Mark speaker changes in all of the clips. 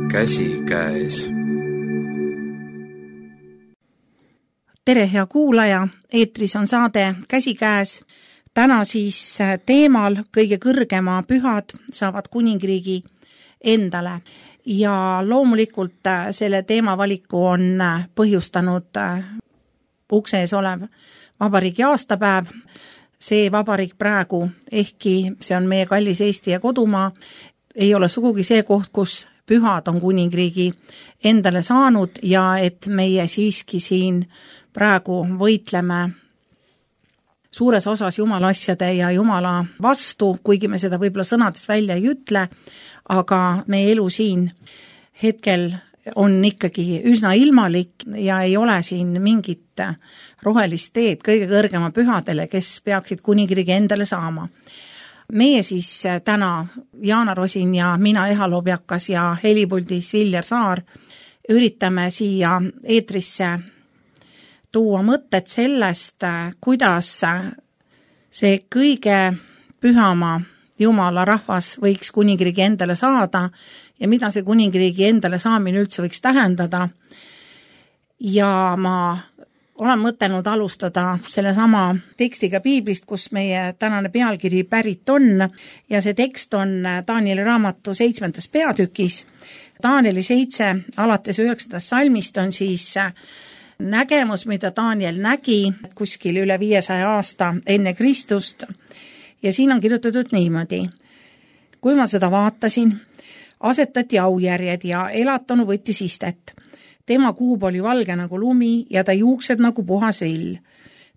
Speaker 1: käsikäes.
Speaker 2: Tere, hea kuulaja, eetris on saade Käsikäes. Täna siis teemal kõige kõrgema pühad saavad kuningriigi endale. Ja loomulikult selle teemavaliku on põhjustanud ukse ees olev vabariigi aastapäev. See vabariik praegu, ehkki see on meie kallis Eesti ja kodumaa, ei ole sugugi see koht, kus pühad on kuningriigi endale saanud ja et meie siiski siin praegu võitleme suures osas jumala asjade ja jumala vastu, kuigi me seda võib-olla sõnades välja ei ütle, aga meie elu siin hetkel on ikkagi üsna ilmalik ja ei ole siin mingit rohelist teed kõige kõrgema pühadele, kes peaksid kuningriigi endale saama. Meie siis täna, Jaana Rosin ja mina, Eha Lobjakas ja helipuldis Viljar Saar, üritame siia eetrisse tuua mõtted sellest, kuidas see kõige pühama Jumala rahvas võiks kuningriigi endale saada ja mida see kuningriigi endale saamine üldse võiks tähendada. Ja ma olen mõtelnud alustada sellesama tekstiga Piiblist, kus meie tänane pealkiri pärit on ja see tekst on Danieli raamatu 7. peatükis. Danieli 7 alates 9. salmist on siis nägemus, mida Daniel nägi kuskil üle 500 aasta enne Kristust ja siin on kirjutatud niimoodi. Kui ma seda vaatasin, asetati aujärjed ja elatanu võttis istet. Tema kuub oli valge nagu lumi ja ta juuksed nagu puhas vill.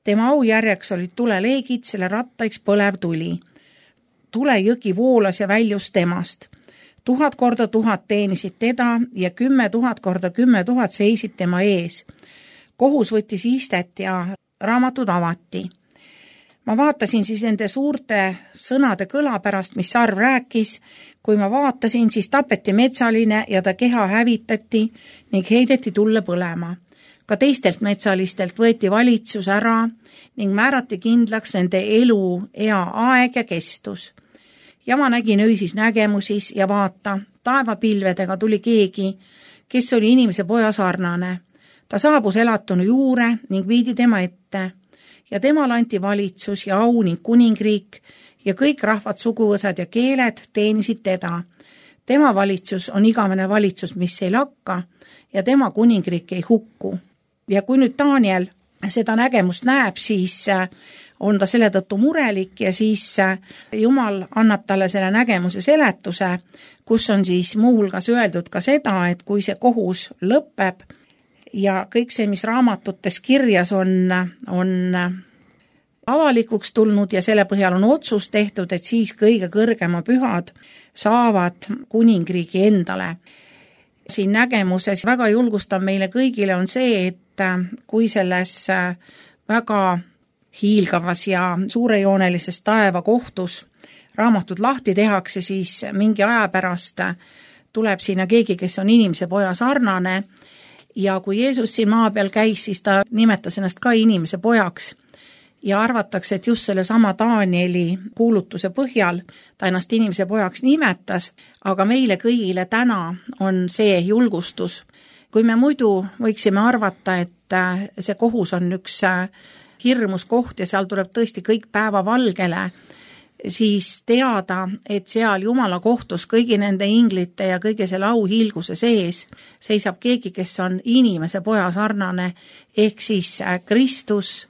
Speaker 2: Tema aujärjeks olid tuleleegid, selle rattaiks põlev tuli. Tulejõgi voolas ja väljus temast. 1000 korda 1000 teenisid teda ja 10 000 korda 10 000 seisid tema ees. Kohus võttis istet ja raamatud avati. Ma vaatasin siis nende suurte sõnade kõla pärast, mis sarv rääkis. Kui ma vaatasin, siis tapeti metsaline ja ta keha hävitati ning heideti tulle põlema. Ka teistelt metsalistelt võeti valitsus ära ning määrati kindlaks nende elu ea aeg ja kestus. Ja ma nägin öisis nägemusis ja vaata, taevapilvedega tuli keegi, kes oli inimese poja sarnane. Ta saabus elatunu juure ning viidi tema ette ja temal anti valitsus ja au ning kuningriik ja kõik rahvad, suguvõsad ja keeled teenisid teda. Tema valitsus on igavene valitsus, mis ei lakka ja tema kuningriik ei hukku. Ja kui nüüd Daniel seda nägemust näeb, siis on ta selle tõttu murelik ja siis Jumal annab talle selle nägemuse seletuse, kus on siis muuhulgas öeldud ka seda, et kui see kohus lõpeb, ja kõik see, mis raamatutes kirjas on avalikuks tulnud ja selle põhjal on otsus tehtud, et siis kõige kõrgema pühad saavad kuningriigi endale. Siin nägemuses väga julgustav meile kõigile on see, et kui selles väga hiilgavas ja suurejoonelises taeva kohtus raamatud lahti tehakse, siis mingi aja pärast tuleb sinna keegi, kes on inimese poja sarnane. Ja kui Jeesus siin maa peal käis, siis ta nimetas ennast ka inimese pojaks ja arvatakse, et just selle sama Danieli kuulutuse põhjal ta ennast inimese pojaks nimetas, aga meile kõigile täna on see julgustus. Kui me muidu võiksime arvata, et see kohus on üks hirmus koht ja seal tuleb tõesti kõik päeva valgele, siis teada, et seal Jumala kohtus kõigi nende inglite ja kõige selle auhiilguse sees seisab keegi, kes on inimese poja sarnane, ehk siis Kristus.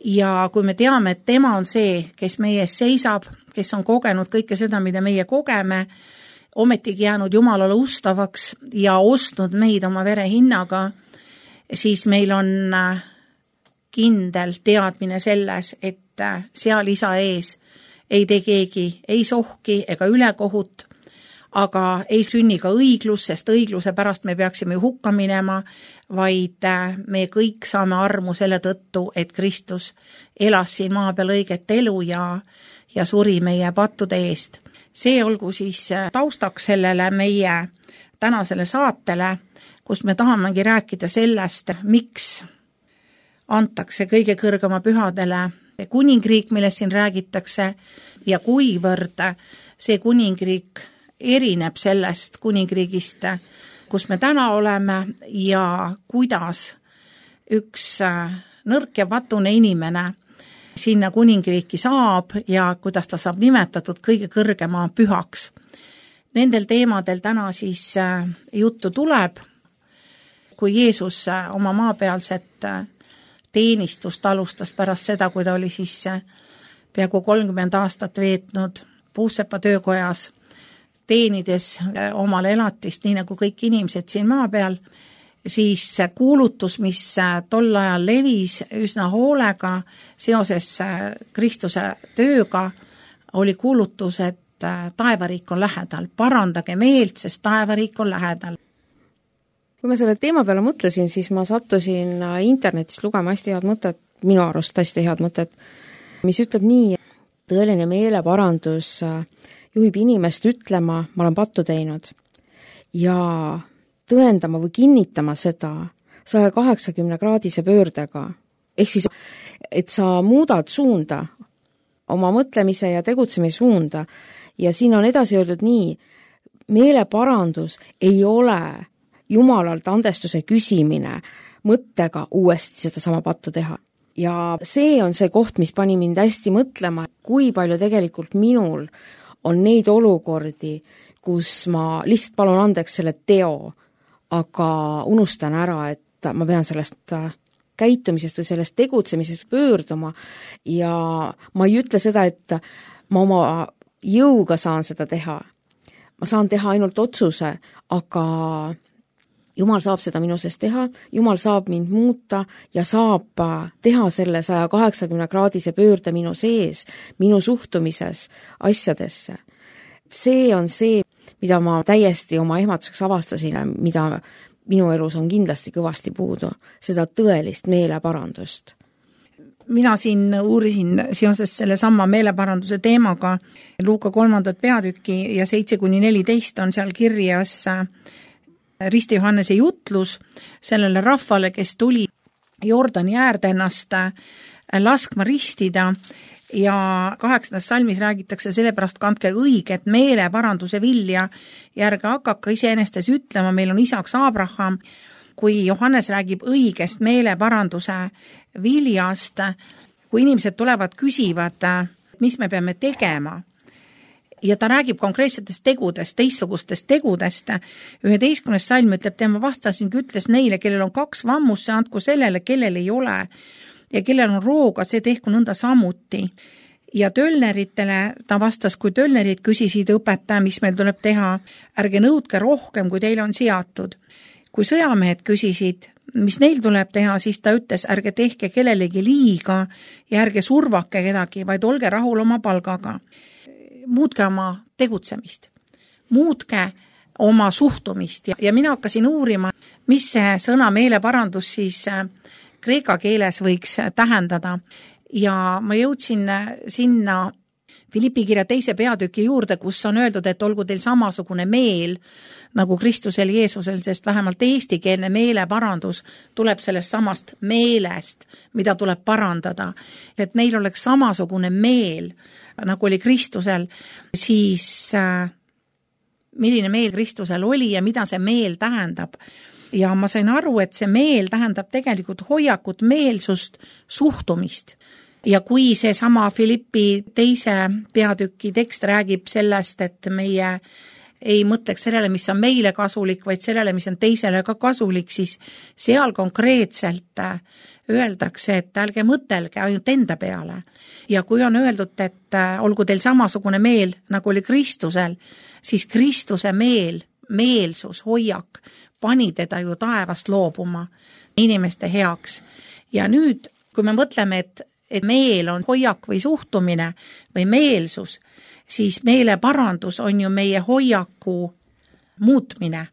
Speaker 2: Ja kui me teame, et tema on see, kes meie ees seisab, kes on kogenud kõike seda, mida meie kogeme, ometigi jäänud Jumalale ustavaks ja ostnud meid oma vere hinnaga, siis meil on kindel teadmine selles, et seal isa ees ei tee keegi ei sohki ega ülekohut, aga ei sünni ka õiglus, sest õigluse pärast me peaksime hukka minema, vaid me kõik saame armu selle tõttu, et Kristus elas siin maa peal õiget elu ja suri meie pattude eest. See olgu siis taustaks sellele meie tänasele saatele, kus me tahamegi rääkida sellest, miks antakse kõige kõrgema pühadele kuningriik, millest siin räägitakse, ja kuivõrd see kuningriik erineb sellest kuningriigist, kus me täna oleme ja kuidas üks nõrk ja patune inimene sinna kuningriiki saab ja kuidas ta saab nimetatud kõige kõrgema pühaks. Nendel teemadel täna siis juttu tuleb, kui Jeesus oma maapealset teenistust alustas pärast seda, kui ta oli siis peaaegu 30 aastat veetnud Puusepa töökojas, teenides omale elatist, nii nagu kõik inimesed siin maa peal, siis kuulutus, mis tol ajal levis üsna hoolega seoses Kristuse tööga, oli kuulutus, et taevariik on lähedal. Parandage meelt, sest taevariik on lähedal.
Speaker 1: Kui ma selle teema peale mõtlesin, siis ma sattusin internetis lugema hästi head mõtet, minu arust hästi head mõtet, mis ütleb nii, tõeline meeleparandus juhib inimest ütlema, ma olen pattu teinud ja tõendama või kinnitama seda 180-kraadise pöördega. Ehk siis, et sa muudad suunda, oma mõtlemise ja tegutsemise suunda ja siin on edasi öeldud nii, meeleparandus ei ole Jumalalt andestuse küsimine mõttega uuesti seda sama pattu teha. Ja see on see koht, mis pani mind hästi mõtlema, kui palju tegelikult minul on neid olukordi, kus ma lihtsalt palun andeks selle teo, aga unustan ära, et ma pean sellest käitumisest või sellest tegutsemisest pöörduma ja ma ei ütle seda, et ma oma jõuga saan seda teha. Ma saan teha ainult otsuse, aga Jumal saab seda minu sees teha, Jumal saab mind muuta ja saab teha selle 180-kraadise pöörde minu sees, minu suhtumises asjadesse. See on see, mida ma täiesti oma ehmatuseks avastasin, mida minu elus on kindlasti kõvasti puudu, seda tõelist meeleparandust.
Speaker 2: Mina siin uurisin seoses selle sama meeleparanduse teemaga Luuka 3. peatükki ja 7-14 on seal kirjas Risti Johannese jutlus sellele rahvale, kes tuli Jordani äärde ennast laskma ristida ja 8. salmis räägitakse sellepärast kandke õiget meeleparanduse vilja ja ärge hakake iseenestes ütlema, meil on isaks Abraham. Kui Johannes räägib õigest meeleparanduse viljast, kui inimesed tulevad, küsivad, mis me peame tegema, ja ta räägib konkreetsetest tegudest, teistsugustest tegudest. 11. salm ütleb, tema vastasingi, ütles neile, kellel on 2 vammusse, andku sellele, kellel ei ole, ja kellel on rooga, see tehku nõnda samuti. Ja tölneritele ta vastas, kui tölnerid küsisid õpetaja, mis meil tuleb teha, ärge nõudke rohkem, kui teil on seatud. Kui sõjamehed küsisid, mis neil tuleb teha, siis ta ütles, ärge tehke kellelegi liiga ja ärge survake kedagi, vaid olge rahul oma palgaga. Muutke oma tegutsemist, muutke oma suhtumist ja mina hakkasin uurima, mis see sõna meeleparandus siis kreeka keeles võiks tähendada ja ma jõudsin sinna Filippi kirja 2. peatüki juurde, kus on öeldud, et olgu teil samasugune meel nagu Kristusel Jeesusel, sest vähemalt eestikeelne meeleparandus tuleb sellest samast meelest, mida tuleb parandada. Et meil oleks samasugune meel, nagu oli Kristusel, siis milline meel Kristusel oli ja mida see meel tähendab. Ja ma sain aru, et see meel tähendab tegelikult hoiakut, meelsust, suhtumist. Ja kui see sama Filippi 2. peatüki tekst räägib sellest, et meie ei mõtleks sellele, mis on meile kasulik, vaid sellele, mis on teisele ka kasulik, siis seal konkreetselt öeldakse, et ärge mõtelge ainult enda peale. Ja kui on öeldud, et olgu teil samasugune meel, nagu oli Kristusel, siis Kristuse meel, meelsus, hoiak, pani teda ju taevast loobuma inimeste heaks. Ja nüüd, kui me mõtleme, et meel on hoiak või suhtumine või meelsus, siis meeleparandus on ju meie hoiaku muutmine.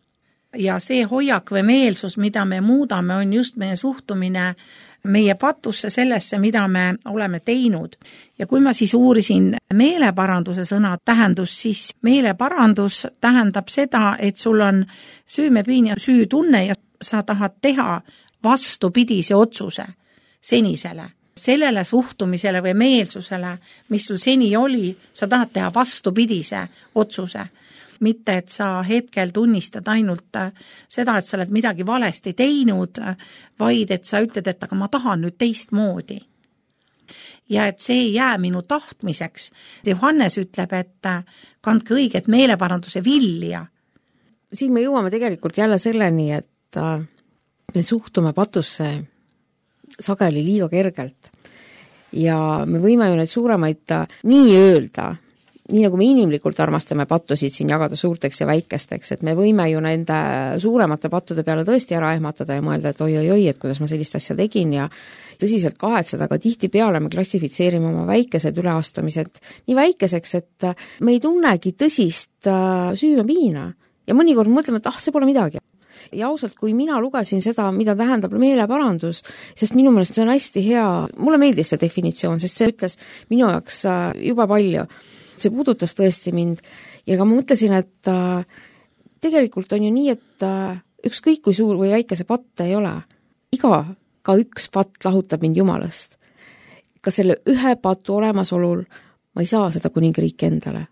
Speaker 2: Ja see hoiak või meelsus, mida me muudame, on just meie suhtumine meie patusse sellesse, mida me oleme teinud. Ja kui ma siis uurisin meeleparanduse sõna tähendus, siis meeleparandus tähendab seda, et sul on süümepiin ja süütunne ja sa tahad teha vastupidise otsuse senisele. Sellele suhtumisele või meelsusele, mis sul seni oli, sa tahad teha vastupidise otsuse. mitte et sa hetkel tunnistad ainult seda, et sa oled midagi valesti teinud, vaid et sa ütled, et aga ma tahan nüüd teistmoodi. Ja et see ei jää minu tahtmiseks. Johannes ütleb, et kandke õiget meeleparanduse vilja.
Speaker 1: Siin me jõuame tegelikult jälle selleni, et me suhtume patusse sageli liiga kergelt. Ja me võime ju neid suuremaid nii öelda, nii nagu me inimlikult armastame pattusid siin jagada suurteks ja väikesteks, et me võime ju nende suuremate pattude peale tõesti ära ehmatada ja mõelda, et oi, et kuidas ma sellist asja tegin ja tõsiselt kahetseda, aga tihtipeale me klassifitseerime oma väikesed üleastumised nii väikeseks, et me ei tunnegi tõsist süümepiina ja mõnikord mõtleme, et see pole midagi. Ja ausalt, kui mina lugesin seda, mida tähendab meeleparandus, sest minu meelest see on hästi hea, mulle meeldis see definitsioon, sest see ütles minu jaoks juba palju. See puudutas tõesti mind ja ka ma mõtlesin, et tegelikult on ju nii, et ükskõik kui suur või väike see patt ei ole, ka üks patt lahutab mind Jumalast. Ka selle ühe patu olemasolul ma ei saa seda kuningriiki endale.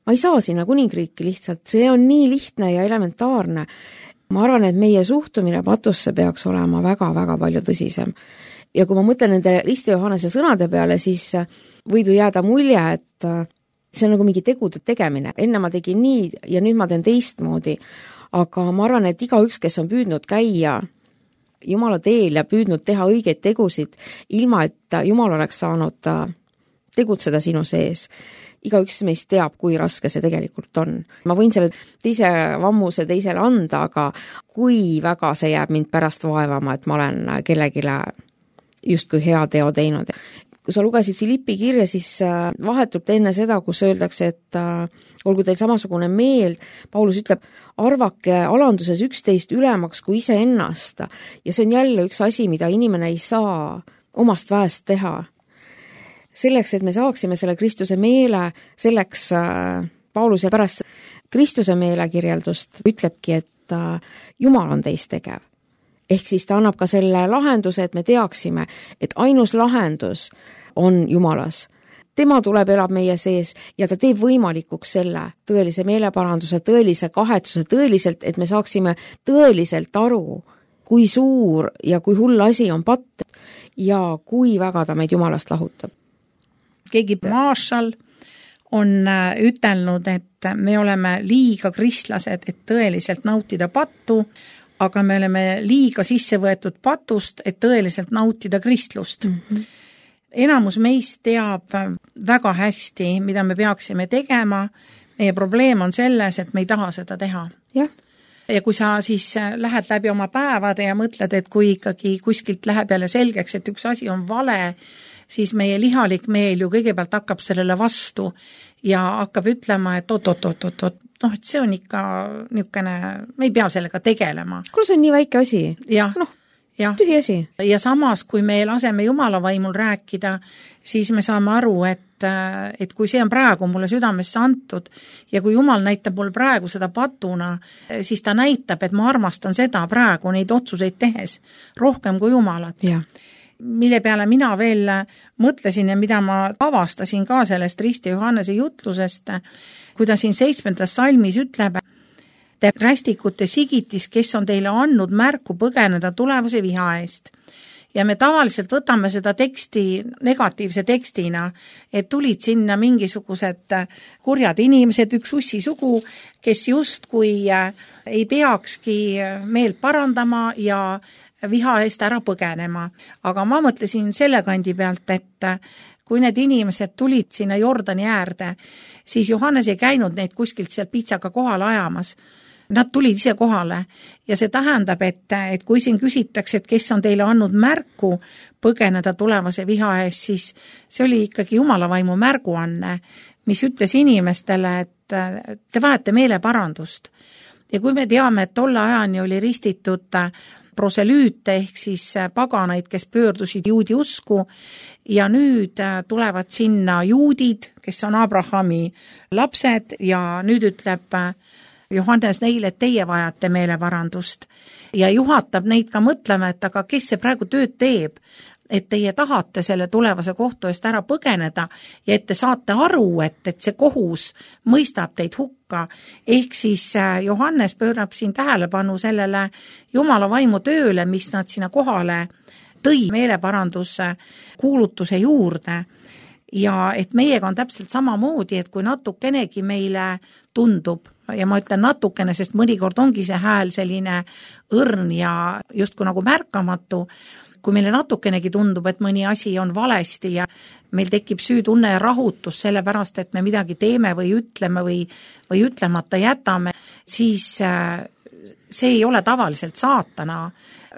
Speaker 1: Ma ei saa sinna kuningriiki lihtsalt, see on nii lihtne ja elementaarne. Ma arvan, et meie suhtumine patusse peaks olema väga-väga palju tõsisem. Ja kui ma mõtlen nende Risti Johannese sõnade peale, siis võib ju jääda mulje, et see on nagu mingi tegude tegemine. Enne ma tegin nii ja nüüd ma teen teistmoodi. Aga ma arvan, et igaüks, kes on püüdnud käia Jumala teel ja püüdnud teha õigeid tegusid, ilma et Jumal oleks saanud tegutseda sinu sees. Igaüks meist teab, kui raske see tegelikult on. Ma võin selle teise vammuse teisele anda, aga kui väga see jääb mind pärast vaevama, et ma olen kellegile justkui hea teo teinud. Kui sa lugesid Filippi kirja, siis vahetult enne seda, kus öeldakse, et olgu teil samasugune meel, Paulus ütleb, arvake alanduses 11 ülemaks kui ise ennast. Ja see on jälle üks asi, mida inimene ei saa omast väest teha. Selleks, et me saaksime selle Kristuse meele, selleks Paulus ja pärast Kristuse meele kirjeldust ütlebki, et Jumal on teist tegev. Ehk siis ta annab ka selle lahenduse, et me teaksime, et ainus lahendus on Jumalas. Tema tuleb, elab meie sees ja ta teeb võimalikuks selle tõelise meeleparanduse, tõelise kahetsuse, tõeliselt, et me saaksime tõeliselt aru, kui suur ja kui hull asi on patt ja kui väga ta meid Jumalast lahutab.
Speaker 2: Keegi Marshall on ütelnud, et me oleme liiga kristlased, et tõeliselt nautida pattu, aga me oleme liiga sisse võetud patust, et tõeliselt nautida kristlust. Mm-hmm. Enamus meist teab väga hästi, mida me peaksime tegema. Meie probleem on selles, et me ei taha seda teha.
Speaker 1: Jah.
Speaker 2: Ja kui sa siis lähed läbi oma päevade ja mõtled, et kui ikkagi kuskilt läheb jälle selgeks, et üks asi on vale, siis meie lihalik meel ju kõigepealt hakkab sellele vastu ja hakkab ütlema, et et see on ikka niisugune, me ei pea sellega tegelema.
Speaker 1: Kuule, see on nii väike asi.
Speaker 2: Ja,
Speaker 1: tühi asi.
Speaker 2: Ja samas, kui me laseme Jumala vaimul rääkida, siis me saame aru, et kui see on praegu mulle südamesse antud ja kui Jumal näitab mul praegu seda patuna, siis ta näitab, et ma armastan seda praegu neid otsuseid tehes rohkem kui Jumalat.
Speaker 1: Ja.
Speaker 2: Mille peale mina veel mõtlesin ja mida ma avastasin ka sellest Risti Johannese jutlusest, kui ta siin 7. salmis ütleb, te rästikute sigitis, kes on teile andnud märku põgeneda tulevase viha eest. Ja me tavaliselt võtame seda teksti negatiivse tekstina, et tulid sinna mingisugused kurjad inimesed, üks ussisugu, kes justkui ei peakski meelt parandama ja viha eest ära põgenema. Aga ma mõtlesin selle kandi pealt, et kui need inimesed tulid sinna Jordani äärde, siis Johannes ei käinud neid kuskilt seal pitsaga kohale ajamas. Nad tulid ise kohale ja see tähendab, et kui siin küsitakse, et kes on teile andnud märku põgeneda tulevase viha eest, siis see oli ikkagi Jumala vaimu märguanne, mis ütles inimestele, et te vajate meeleparandust. Ja kui me teame, et tolle ajani oli ristitud proselüüte ehk siis paganaid, kes pöördusid juudi usku ja nüüd tulevad sinna juudid, kes on Abrahami lapsed ja nüüd ütleb Johannes neile, et teie vajate meeleparandust ja juhatab neid ka mõtlema, et aga kes see praegu tööd teeb, et teie tahate selle tulevase kohtu eest ära põgeneda ja et te saate aru, et see kohus mõistab teid hukka. Ehk siis Johannes pöörab siin tähelepanu sellele Jumala vaimu tööle, mis nad sinna kohale tõi meeleparanduse kuulutuse juurde. Ja et meiega on täpselt samamoodi, et kui natukenegi meile tundub, ja ma ütlen natukene, sest mõnikord ongi see hääl selline õrn ja justkui nagu märkamatu, kui meile natukenegi tundub, et mõni asi on valesti ja meil tekib süütunne ja rahutus sellepärast, et me midagi teeme või ütleme või ütlemata jätame, siis see ei ole tavaliselt saatana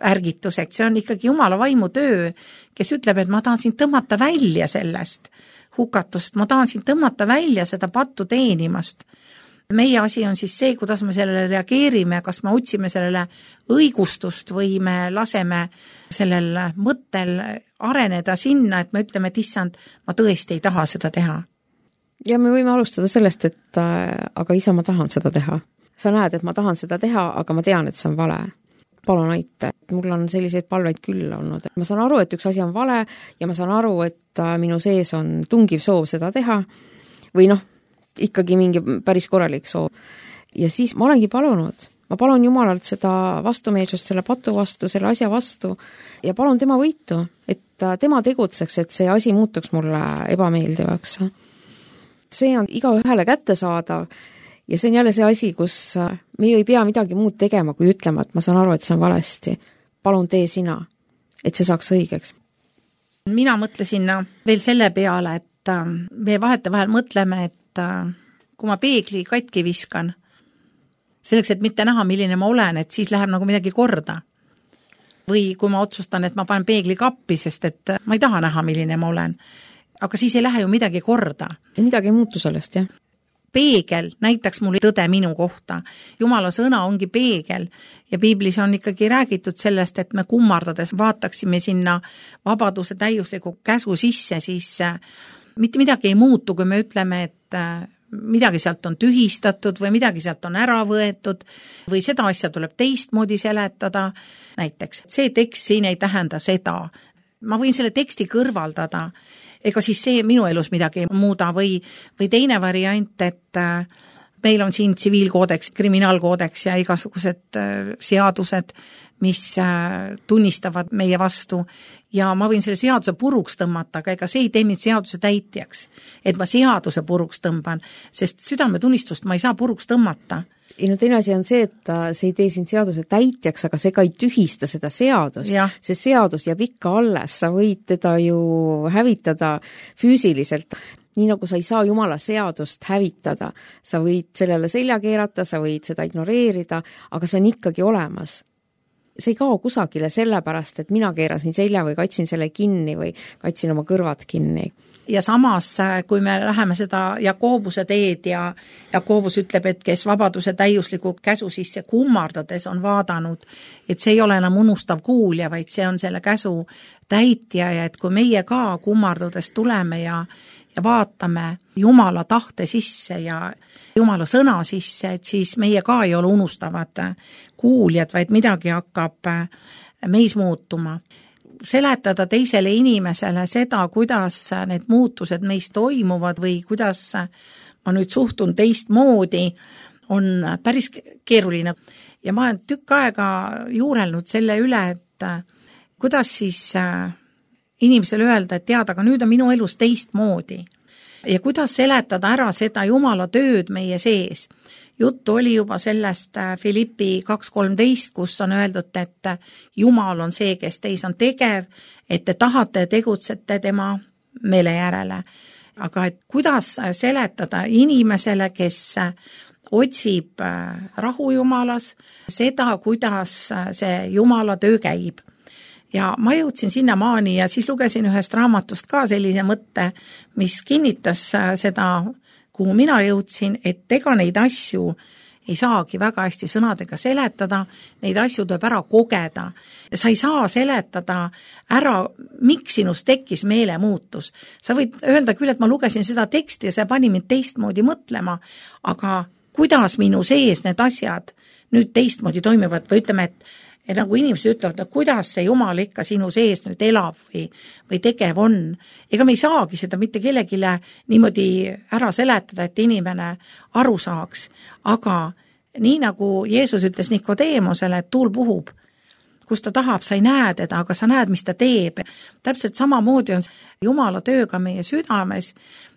Speaker 2: ärgituseks, see on ikkagi Jumala vaimu töö, kes ütleb, et ma tahan sind tõmmata välja sellest hukatust, ma tahan sind tõmmata välja seda pattu teenimast. Meie asi on siis see, kuidas me sellele reageerime, kas me otsime sellele õigustust või me laseme sellel mõttel areneda sinna, et me ütleme, et issand, ma tõesti ei taha seda teha.
Speaker 1: Ja me võime alustada sellest, et aga isa, ma tahan seda teha. Sa näed, et ma tahan seda teha, aga ma tean, et see on vale. Palun aita. Mul on selliseid palveid küll olnud. Ma saan aru, et üks asi on vale ja ma saan aru, et minu sees on tungiv soov seda teha või ikkagi mingi päris korralik soov. Ja siis ma olengi palunud. Ma palun Jumalalt seda vastumeelsust, selle patu vastu, selle asja vastu ja palun tema võitu, et tema tegutseks, et see asi muutuks mulle ebameeldivaks. See on igaühele kättesaadav ja see on jälle see asi, kus me ei pea midagi muud tegema, kui ütlema, et ma saan aru, et see on valesti. Palun tee sina, et see saaks õigeks.
Speaker 2: Mina mõtlesin veel selle peale, et me vahetevahel mõtleme, et kui ma peegli katki viskan, selleks, et mitte näha, milline ma olen, et siis läheb nagu midagi korda. Või kui ma otsustan, et ma panen peegli kappi, sest et ma ei taha näha, milline ma olen. Aga siis ei lähe ju midagi korda.
Speaker 1: Ja midagi ei muutu sellest, jah.
Speaker 2: Peegel näitaks mulle tõde minu kohta. Jumala sõna ongi peegel ja piiblis on ikkagi räägitud sellest, et me kummardades vaataksime sinna vabaduse täiusliku käsu sisse, siis mitte midagi ei muutu, kui me ütleme, et midagi sealt on tühistatud või midagi sealt on ära võetud või seda asja tuleb teistmoodi seletada. Näiteks, see tekst siin ei tähenda seda. Ma võin selle teksti kõrvaldada. Ega siis see minu elus midagi muuda või teine variant, et meil on siin tsiviilkoodeks, kriminaalkoodeks ja igasugused seadused, mis tunnistavad meie vastu ja ma võin selle seaduse puruks tõmmata, aga ega see ei tee mind seaduse täitjaks, et ma seaduse puruks tõmban, sest südametunnistust ma ei saa puruks tõmmata.
Speaker 1: Ja teine asi on see, et see ei tee sind seaduse täitjaks, aga see ka ei tühista seda seadust. See seadus jääb ikka alles, sa võid teda ju hävitada füüsiliselt. Nii nagu sa ei saa Jumala seadust hävitada, sa võid sellele selja keerata, sa võid seda ignoreerida, aga see on ikkagi olemas. See ei kao kusagile sellepärast, et mina keerasin selja või katsin selle kinni või katsin oma kõrvad kinni.
Speaker 2: Ja samas, kui me läheme seda Jakobuse teed ja Jakobus ütleb, et kes vabaduse täiusliku käsu sisse kummardades on vaadanud, et see ei ole enam unustav kuulja, vaid see on selle käsu täitja ja et kui meie ka kummardades tuleme ja vaatame Jumala tahte sisse ja Jumala sõna sisse, et siis meie ka ei ole unustavad kuuljad, vaid midagi hakkab meis muutuma. Seletada teisele inimesele seda, kuidas need muutused meis toimuvad või kuidas ma nüüd suhtun teistmoodi, on päris keeruline. Ja ma olen tükk aega juurelnud selle üle, et kuidas siis inimesele öelda, et tead, aga nüüd on minu elus teistmoodi. Ja kuidas seletada ära seda Jumala tööd meie sees. Juttu oli juba sellest Filippi 2.13, kus on öeldud, et Jumal on see, kes teis on tegev, et te tahate ja tegutsete tema meele järele. Aga et kuidas seletada inimesele, kes otsib rahu Jumalas, seda, kuidas see Jumala töö käib. Ja ma jõudsin sinna maani ja siis lugesin ühest raamatust ka sellise mõtte, mis kinnitas seda, kuhu mina jõudsin, et ega neid asju ei saagi väga hästi sõnadega seletada, neid asju tuleb ära kogeda. Sa ei saa seletada ära, miks sinust tekkis meelemuutus. Sa võid öelda küll, et ma lugesin seda teksti ja see pani mind teistmoodi mõtlema, aga kuidas minu sees need asjad nüüd teistmoodi toimivad või ütleme, Ja nagu inimesed ütlevad, et kuidas see Jumal ikka sinu sees nüüd elab või tegev on. Ega me ei saagi seda mitte kellegile niimoodi ära seletada, et inimene aru saaks. Aga nii nagu Jeesus ütles Nikodeemosele, et tuul puhub, kus ta tahab, sa ei näe teda, aga sa näed, mis ta teeb. Täpselt samamoodi on Jumala tööga meie südames.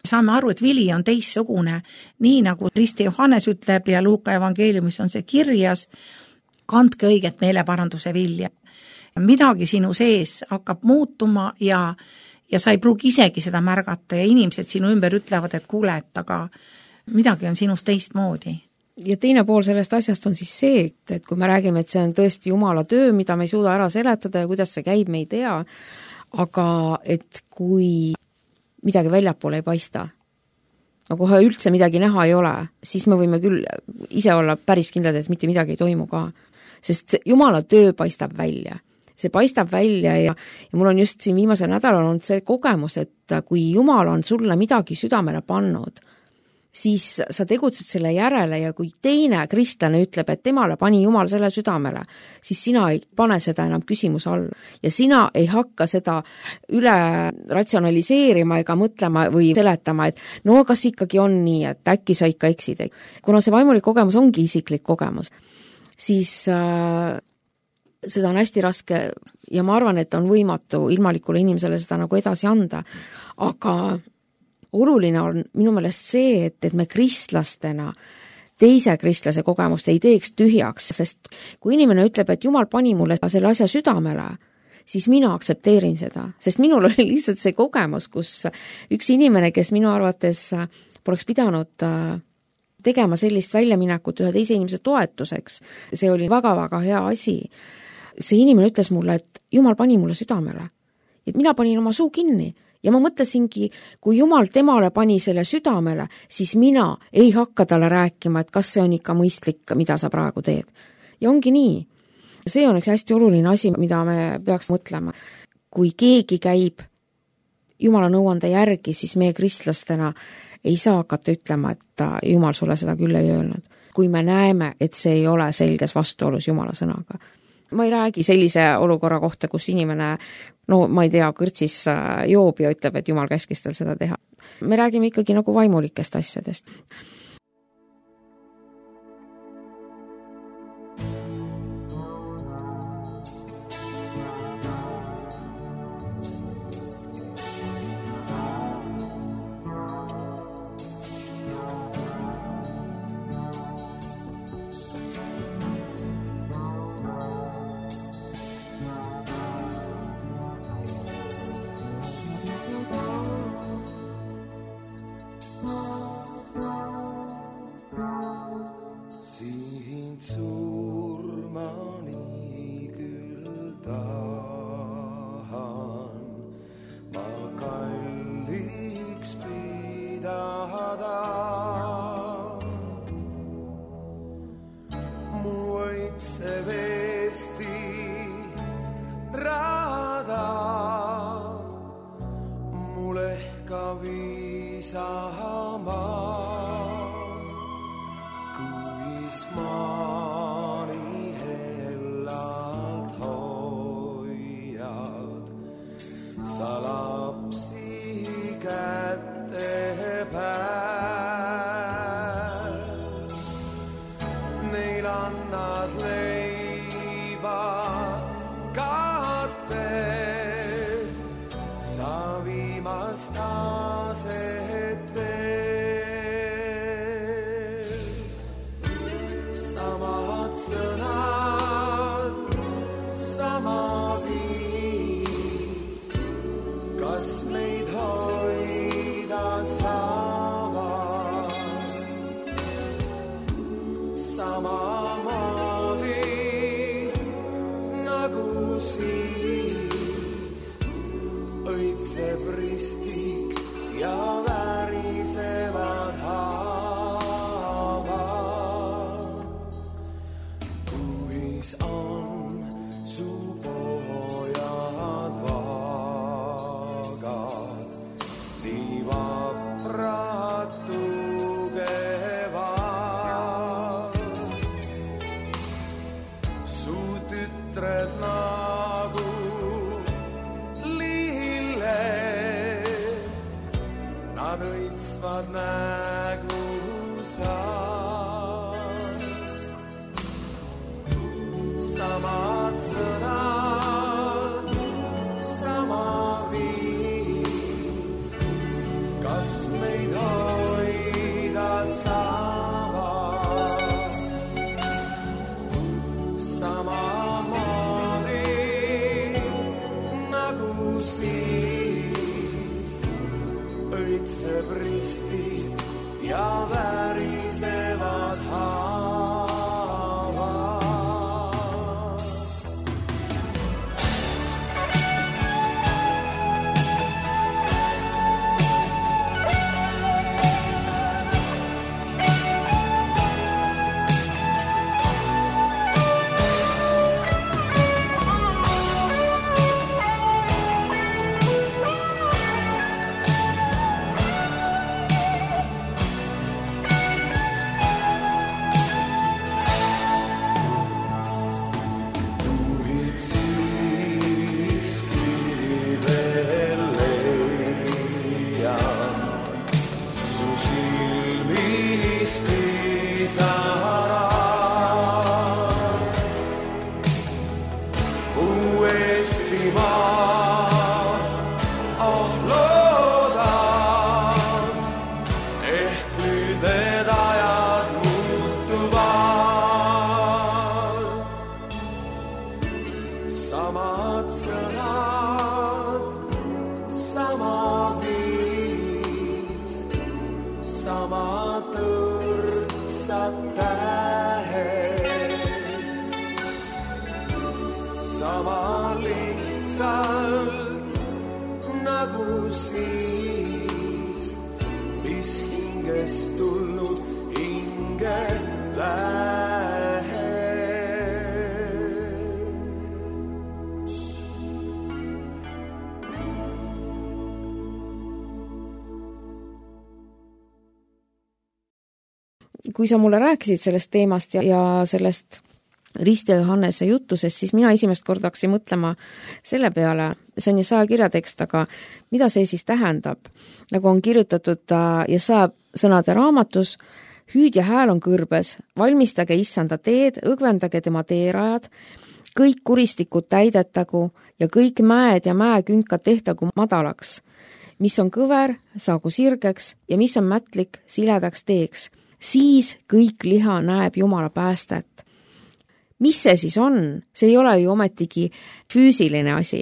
Speaker 2: Saame aru, et vili on teistsugune, nii nagu Risti Johannes ütleb ja Luuka evangeeliumis on see kirjas, kandke õiget meeleparanduse vilja. Midagi sinu sees hakkab muutuma ja sa ei pruugi isegi seda märgata ja inimesed sinu ümber ütlevad, et kuule, et aga midagi on sinust teistmoodi.
Speaker 1: Ja teine pool sellest asjast on siis see, et kui me räägime, et see on tõesti Jumala töö, mida me ei suuda ära seletada ja kuidas see käib, me ei tea, aga et kui midagi väljapoole ei paista, no kohe üldse midagi näha ei ole, siis me võime küll ise olla päris kindlad, et mitte midagi ei toimu ka. Sest Jumala töö paistab välja. See paistab välja ja mul on just siin viimasel nädalal olnud see kogemus, et kui Jumal on sulle midagi südamele pannud, siis sa tegutsed selle järele ja kui teine kristlane ütleb, et temale pani Jumal selle südamele, siis sina ei pane seda enam küsimuse alla. Ja sina ei hakka seda üle ratsionaliseerima ega mõtlema või seletama, et no kas ikkagi on nii, et äkki sa ikka eksid. Kuna see vaimulik kogemus ongi isiklik kogemus, siis seda on hästi raske ja ma arvan, et on võimatu ilmalikule inimesele seda nagu edasi anda. Aga oluline on minu meelest see, et me kristlastena teise kristlase kogemust ei teeks tühjaks, sest kui inimene ütleb, et Jumal pani mulle selle asja südamele, siis mina aktsepteerin seda, sest minul oli lihtsalt see kogemus, kus üks inimene, kes minu arvates poleks pidanud tegema sellist väljaminekut ühe teise inimese toetuseks, see oli väga-väga hea asi. See inimene ütles mulle, et Jumal pani mulle südamele, et mina panin oma suu kinni ja ma mõtlesingi, kui Jumal temale pani selle südamele, siis mina ei hakka talle rääkima, et kas see on ikka mõistlik, mida sa praegu teed. Ja ongi nii. See on üks hästi oluline asi, mida me peaks mõtlema. Kui keegi käib Jumala nõuande järgi, siis meie kristlastena ei saa hakata ütlema, et Jumal sulle seda küll ei öelnud. Kui me näeme, et see ei ole selges vastuolus Jumala sõnaga. Ma ei räägi sellise olukorra kohta, kus inimene, no ma ei tea, kõrtsis joob ja ütleb, et Jumal käskis tal seda teha. Me räägime ikkagi nagu vaimulikest asjadest.
Speaker 3: sa. Samad sõnad, sama viis, kas meid hoida saavad. Samamoodi nagu siis õitseb risti ja värisevad haavad. Samad sõnad, sama viis, sama tõrksad tähed, sama lihtsalt nagu siis, mis hingest tulnud hinge lähed.
Speaker 1: Kui sa mulle rääkisid sellest teemast ja sellest Risti ja Johannese jutusest, siis mina esimest korda hakkasin mõtlema selle peale, see on Jesaja kirjatekst, aga mida see siis tähendab? Nagu on kirjutatud Jesaja sõnade raamatus, hüüdja hääl on kõrbes, valmistage issanda teed, õgvendage tema teerajad, kõik kuristikud täidetagu ja kõik mäed ja mäekünkad tehtagu madalaks. Mis on kõver, saagu sirgeks ja mis on mätlik, siledaks teeks. Siis kõik liha näeb Jumala päästet. Mis see siis on? See ei ole ju ometigi füüsiline asi.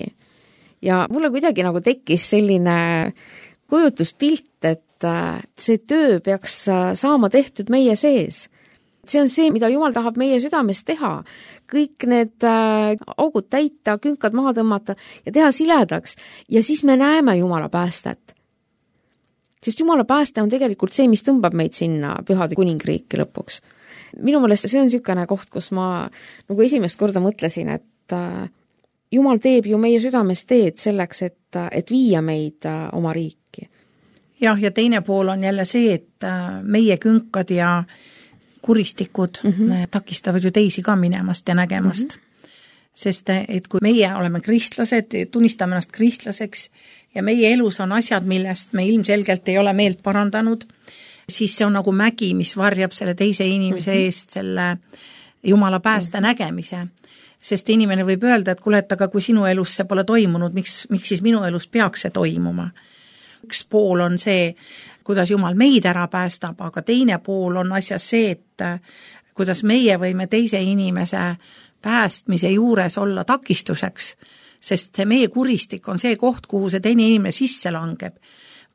Speaker 1: Ja mulle kuidagi nagu tekkis selline kujutuspilt, et see töö peaks saama tehtud meie sees. See on see, mida Jumal tahab meie südames teha. Kõik need augud täita, künkad maha tõmmata ja teha siledaks. Ja siis me näeme Jumala päästet. Sest Jumala pääste on tegelikult see, mis tõmbab meid sinna pühade kuningriiki lõpuks. Minu meelest see on niisugune koht, kus ma nagu esimest korda mõtlesin, et Jumal teeb ju meie südames teed selleks, et viia meid oma riiki.
Speaker 2: Jah, ja teine pool on jälle see, et meie künkad ja kuristikud takistavad ju teisi ka minemast ja nägemast. Sest et kui meie oleme kristlased, tunnistame ennast kristlaseks ja meie elus on asjad, millest me ilmselgelt ei ole meelt parandanud, siis see on nagu mägi, mis varjab selle teise inimese eest selle Jumala pääste nägemise. Sest inimene võib öelda, et kuule, et aga kui sinu elus see pole toimunud, miks siis minu elus peaks see toimuma? Üks pool on see, kuidas Jumal meid ära päästab, aga teine pool on asjas see, et kuidas meie võime teise inimese päästmise juures olla takistuseks, sest see meie kuristik on see koht, kuhu see teine inimene sisse langeb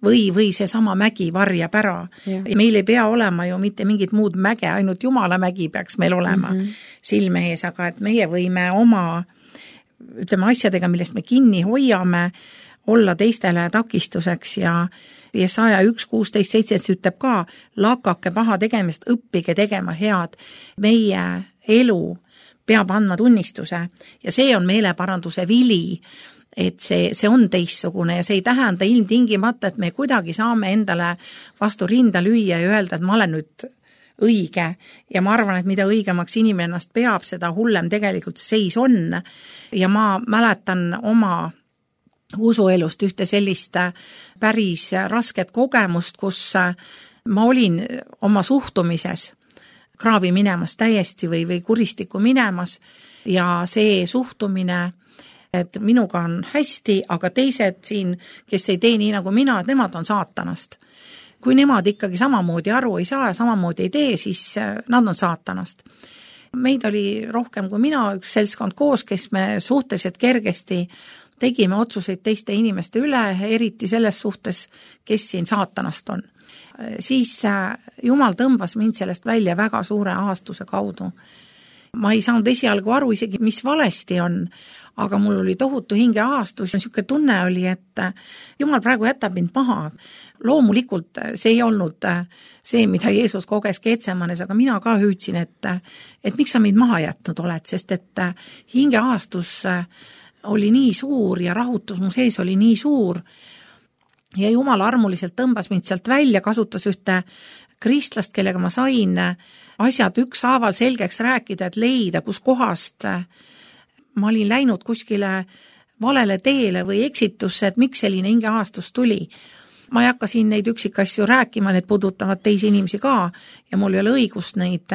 Speaker 2: või see sama mägi varjab ära. Ja meil ei pea olema ju mitte mingit muud mäge, ainult Jumala mägi peaks meil olema silme ees, aga et meie võime oma asjadega, millest me kinni hoiame, olla teistele takistuseks ja Jesaja 1:16-17 ütleb ka, lakake paha tegemist, õppige tegema head. Meie elu peab andma tunnistuse ja see on meeleparanduse vili, et see on teistsugune ja see ei tähenda ilmtingimata, et me kuidagi saame endale vastu rinda lüüa ja öelda, et ma olen nüüd õige ja ma arvan, et mida õigemaks inimene ennast peab, seda hullem tegelikult seis on ja ma mäletan oma usuelust ühte sellist päris rasket kogemust, kus ma olin oma suhtumises kraavi minemas täiesti või kuristikku minemas ja see suhtumine, et minuga on hästi, aga teised siin, kes ei tee nii nagu mina, et nemad on saatanast. Kui nemad ikkagi samamoodi aru ei saa ja samamoodi ei tee, siis nad on saatanast. Meid oli rohkem kui mina, üks seltskond koos, kes me suhteliselt kergesti tegime otsuseid teiste inimeste üle, eriti selles suhtes, kes siin saatanast on. Siis Jumal tõmbas mind sellest välja väga suure ahastuse kaudu. Ma ei saanud esialgu aru isegi, mis valesti on, aga mul oli tohutu hingeahastus ja niisugune tunne oli, et Jumal praegu jätab mind maha. Loomulikult see ei olnud see, mida Jeesus koges Getsemanes, aga mina ka hüüdsin, et miks sa mind maha jätnud oled, sest et hingeahastus oli nii suur ja rahutus mu sees oli nii suur ja Jumal armuliselt tõmbas mind sealt välja, kasutas ühte kristlast, kellega ma sain asjad ükshaaval selgeks rääkida, et leida, kus kohast ma olin läinud kuskile valele teele või eksitusse, et miks selline hingeahastus tuli. Ma ei hakka siin neid üksikasju rääkima, need puudutavad teisi inimesi ka ja mul ei ole õigust neid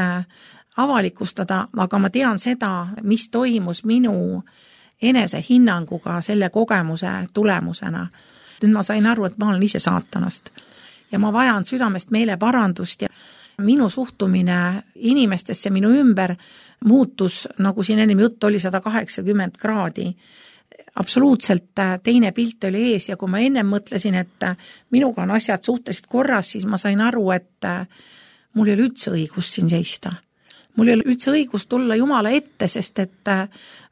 Speaker 2: avalikustada, aga ma tean seda, mis toimus minu enesehinnanguga selle kogemuse tulemusena. Nüüd ma sain aru, et ma olen ise saatanast ja ma vajan südamest meeleparandust ja minu suhtumine inimestesse minu ümber muutus, nagu siin ennem jutt oli, 180 kraadi. Absoluutselt teine pilt oli ees ja kui ma ennem mõtlesin, et minuga on asjad suhteliselt korras, siis ma sain aru, et mul ei ole üldse õigust siin seista. Mul ei ole üldse õigust tulla Jumala ette, sest et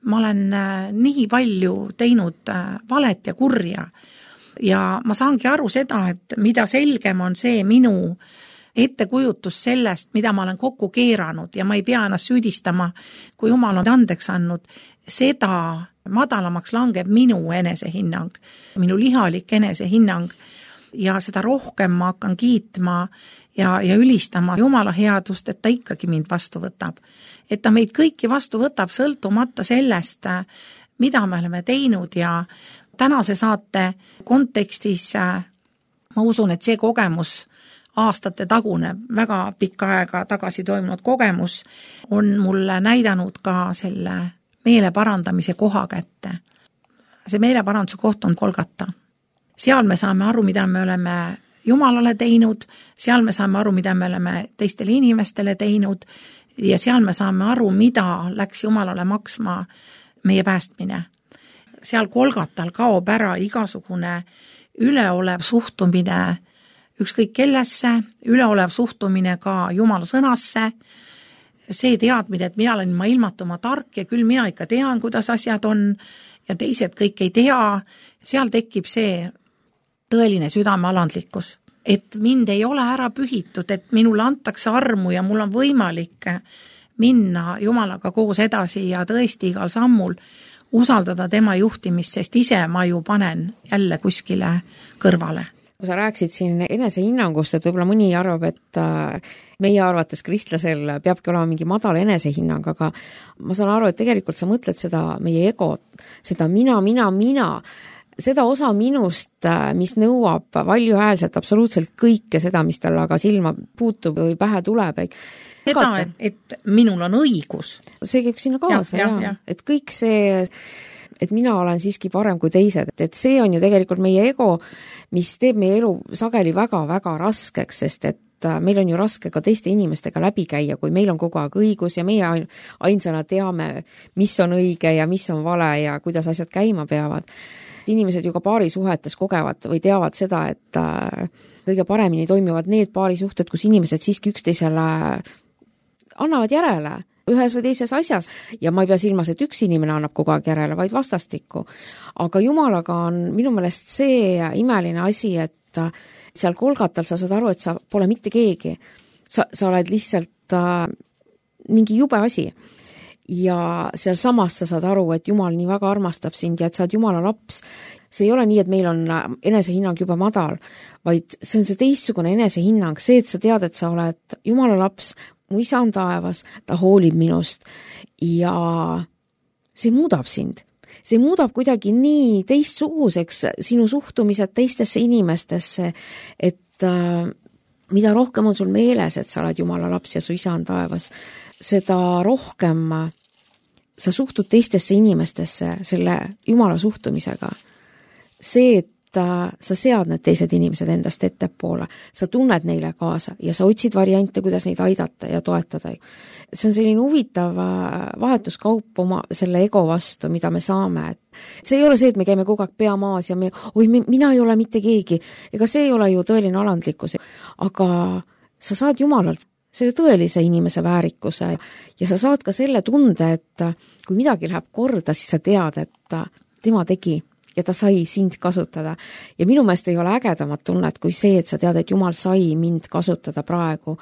Speaker 2: ma olen nii palju teinud valet ja kurja. Ja ma saangi aru seda, et mida selgem on see minu ettekujutus sellest, mida ma olen kokku keeranud ja ma ei pea ennast süüdistama, kui Jumal on andeks andnud, seda madalamaks langeb minu enesehinnang, minu lihalik enesehinnang ja seda rohkem ma hakkan kiitma ja ülistama Jumala headust, et ta ikkagi mind vastu võtab. Et ta meid kõiki vastu võtab sõltumata sellest, mida me oleme teinud ja tänase saate kontekstis ma usun, et see kogemus aastate tagune, väga pikka aega tagasi toimunud kogemus on mulle näidanud ka selle meeleparandamise koha kätte. See meeleparanduse koht on Golgata. Seal me saame aru, mida me oleme Jumalale teinud, seal me saame aru, mida me oleme teistele inimestele teinud ja seal me saame aru, mida läks Jumalale maksma meie päästmine. Seal Golgatal kaob ära igasugune üleolev suhtumine ükskõik kellesse, üleolev suhtumine ka Jumala sõnasse, see teadmine, et mina olen ma ilmatuma tark ja küll mina ikka tean, kuidas asjad on ja teised kõik ei tea, seal tekib see tõeline südamealandlikkus, et mind ei ole ära pühitud, et minule antakse armu ja mul on võimalik minna Jumalaga koos edasi ja tõesti igal sammul usaldada tema juhtimist, sest ise ma ju panen jälle kuskile kõrvale.
Speaker 1: Kui sa rääksid siin enesehinnangust, et võib-olla mõni arvab, et meie arvates kristlasel peabki olema mingi madal enesehinnang, aga ma saan aru, et tegelikult sa mõtled seda meie egot, seda mina, seda osa minust, mis nõuab valjuhäälselt absoluutselt kõike seda, mis tal aga silma puutub või pähe tuleb.
Speaker 2: Seda, et minul on õigus.
Speaker 1: See käib sinna kaasa, ja. Et kõik see, et mina olen siiski parem kui teised, et see on ju tegelikult meie ego, mis teeb meie elu sageli väga-väga raskeks, sest et meil on ju raske ka teiste inimestega läbi käia, kui meil on kogu aeg õigus ja meie ainsana teame, mis on õige ja mis on vale ja kuidas asjad käima peavad. Inimesed ju ka paarisuhetes kogevad või teavad seda, et kõige paremini toimivad need paarisuhted, kus inimesed siiski üksteisele annavad järele ühes või teises asjas ja ma ei pea silmas, et üks inimene annab kogu aeg järele, vaid vastastikku. Aga Jumalaga on minu meelest see imeline asi, et seal Golgatal sa saad aru, et sa pole mitte keegi. Sa oled lihtsalt mingi jube asi. Ja seal samas sa saad aru, et Jumal nii väga armastab sind ja et sa oled Jumala laps. See ei ole nii, et meil on enesehinnang juba madal, vaid see on see teistsugune enesehinnang, see, et sa tead, et sa oled Jumala laps, mu isa on taevas, ta hoolib minust ja see muudab sind. See muudab kuidagi nii teistsuguseks sinu suhtumised teistesse inimestesse, et mida rohkem on sul meeles, et sa oled Jumala laps ja su isa on taevas, seda rohkem sa suhtud teistesse inimestesse selle Jumala suhtumisega. See, et sa sead need teised inimesed endast ettepoole, sa tunned neile kaasa ja sa otsid variante, kuidas neid aidata ja toetada. See on selline huvitav vahetuskaup oma selle ego vastu, mida me saame. See ei ole see, et me käime kogu aeg pea maas ja mina ei ole mitte keegi. Ega see ei ole ju tõeline alandlikkus. Aga sa saad Jumalalt selle tõelise inimese väärikuse ja sa saad ka selle tunde, et kui midagi läheb korda, siis sa tead, et tema tegi ja ta sai sind kasutada. Ja minu meelest ei ole ägedamat tunnet kui see, et sa tead, et Jumal sai mind kasutada praegu.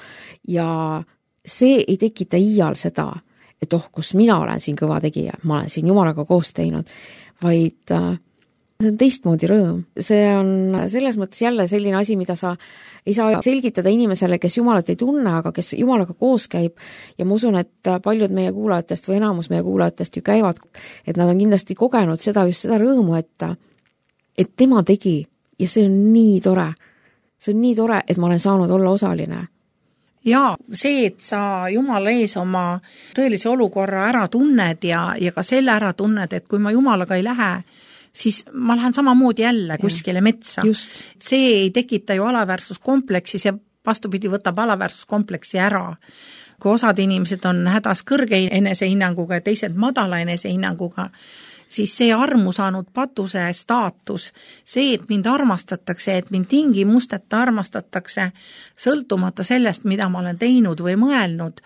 Speaker 1: Ja see ei tekita iial seda, et kus mina olen siin kõva tegija, ma olen siin Jumalaga koos teinud, vaid see on teistmoodi rõõm. See on selles mõttes jälle selline asi, mida sa ei saa selgitada inimesele, kes Jumalat ei tunne, aga kes Jumalaga koos käib. Ja ma usun, et paljud meie kuulajatest või enamus meie kuulajatest ju käivad, et nad on kindlasti kogenud just seda rõõmu, et tema tegi ja see on nii tore. See on nii tore, et ma olen saanud olla osaline.
Speaker 2: Ja see, et sa Jumala ees oma tõelise olukorra ära tunned ja ka selle ära tunned, et kui ma Jumalaga ei lähe, siis ma lähen samamoodi jälle kuskile metsa.
Speaker 1: Just.
Speaker 2: See ei tekita ju alaväärsuskompleksi, see vastupidi võtab alaväärsuskompleksi ära. Kui osad inimesed on hädas kõrge enesehinnanguga ja teised madala enesehinnanguga, siis see armu saanud patuse staatus, see, et mind armastatakse, et mind tingimusteta armastatakse, sõltumata sellest, mida ma olen teinud või mõelnud,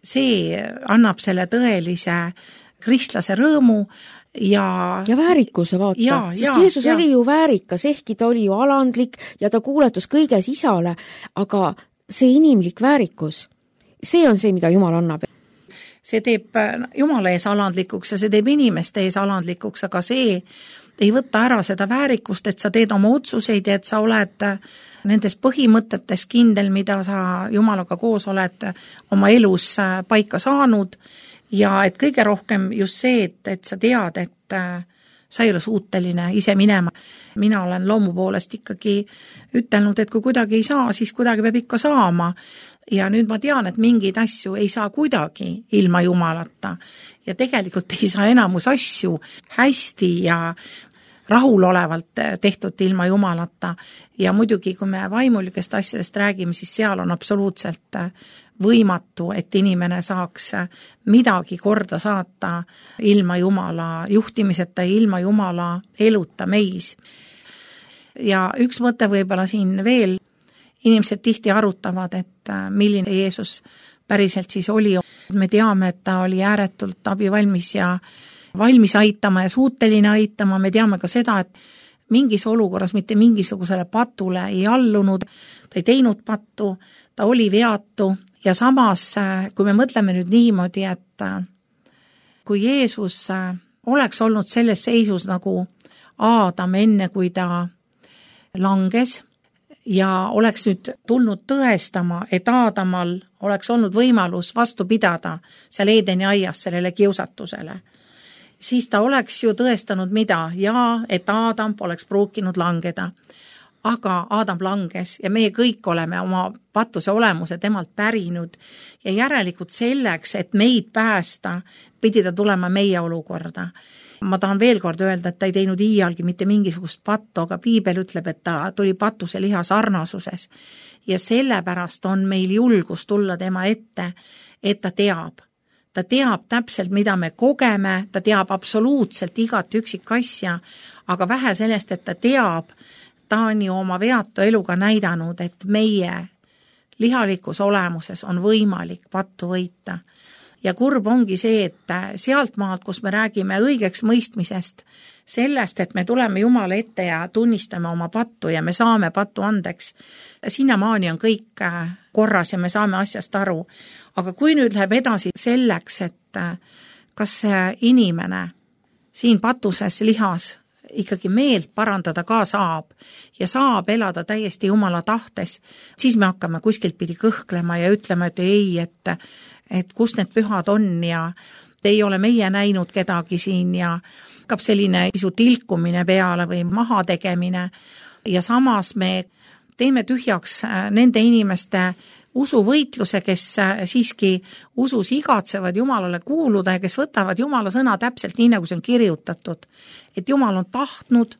Speaker 2: see annab selle tõelise kristlase rõõmu ja väärikuse
Speaker 1: vaata, sest Jeesus oli ju väärikas, ehkki ta oli ju alandlik ja ta kuuletus kõiges isale, aga see inimlik väärikus, see on see, mida Jumal annab.
Speaker 2: See teeb Jumala ees alandlikuks ja see teeb inimeste ees alandlikuks, aga see ei võta ära seda väärikust, et sa teed oma otsuseid ja et sa oled nendes põhimõtetes kindel, mida sa Jumalaga koos oled oma elus paika saanud. Ja et kõige rohkem just see, et sa tead, et sa ei ole suuteline ise minema. Mina olen loomu poolest ikkagi ütelnud, et kui kuidagi ei saa, siis kuidagi peab ikka saama. Ja nüüd ma tean, et mingeid asju ei saa kuidagi ilma Jumalata. Ja tegelikult ei saa enamus asju hästi ja rahulolevalt tehtud ilma Jumalata. Ja muidugi, kui me vaimulikest asjadest räägime, siis seal on absoluutselt võimatu, et inimene saaks midagi korda saata ilma Jumala juhtimiseta ja ilma Jumala eluta meis. Ja üks mõte võib-olla siin veel, inimesed tihti arutavad, et milline Jeesus päriselt siis oli. Me teame, et ta oli ääretult abivalmis ja valmis aitama ja suuteline aitama. Me teame ka seda, et mingis olukorras mitte mingisugusele patule ei allunud, ta ei teinud pattu, ta oli veatu ja samas, kui me mõtleme nüüd niimoodi, et kui Jeesus oleks olnud selles seisus nagu Aadam enne, kui ta langes ja oleks nüüd tulnud tõestama, et Aadamal oleks olnud võimalus vastu pidada seal Eedeni aias sellele kiusatusele, siis ta oleks ju tõestanud mida? Ja, et Aadam poleks pruukinud langeda. Aga Aadam langes ja meie kõik oleme oma patuse olemuse temalt pärinud ja järelikult selleks, et meid päästa, pidi ta tulema meie olukorda. Ma tahan veel kord öelda, et ta ei teinud iialgi mitte mingisugust pattu, aga Piibel ütleb, et ta tuli patuse liha sarnasuses. Ja sellepärast on meil julgus tulla tema ette, et ta teab. Ta teab täpselt, mida me kogeme, ta teab absoluutselt igat üksik asja, aga vähe sellest, et ta teab, ta on ju oma veatu eluga näidanud, et meie lihalikus olemuses on võimalik pattu võita. Ja kurb ongi see, et sealt maalt, kus me räägime õigeks mõistmisest, sellest, et me tuleme Jumala ette ja tunnistame oma pattu ja me saame pattu andeks, sinnamaani on kõik korras ja me saame asjast aru. Aga kui nüüd läheb edasi selleks, et kas see inimene siin patuses lihas ikkagi meelt parandada ka saab ja saab elada täiesti Jumala tahtes, siis me hakkame kuskilt pidi kõhklema ja ütlema, et ei, et kus need pühad on ja ei ole meie näinud kedagi siin ja hakkab selline pisut ilkumine peale või maha tegemine ja samas me teeme tühjaks nende inimeste usuvõitluse, kes siiski usus igatsevad Jumalale kuuluda ja kes võtavad Jumala sõna täpselt nii, nagu see on kirjutatud. Et Jumal on tahtnud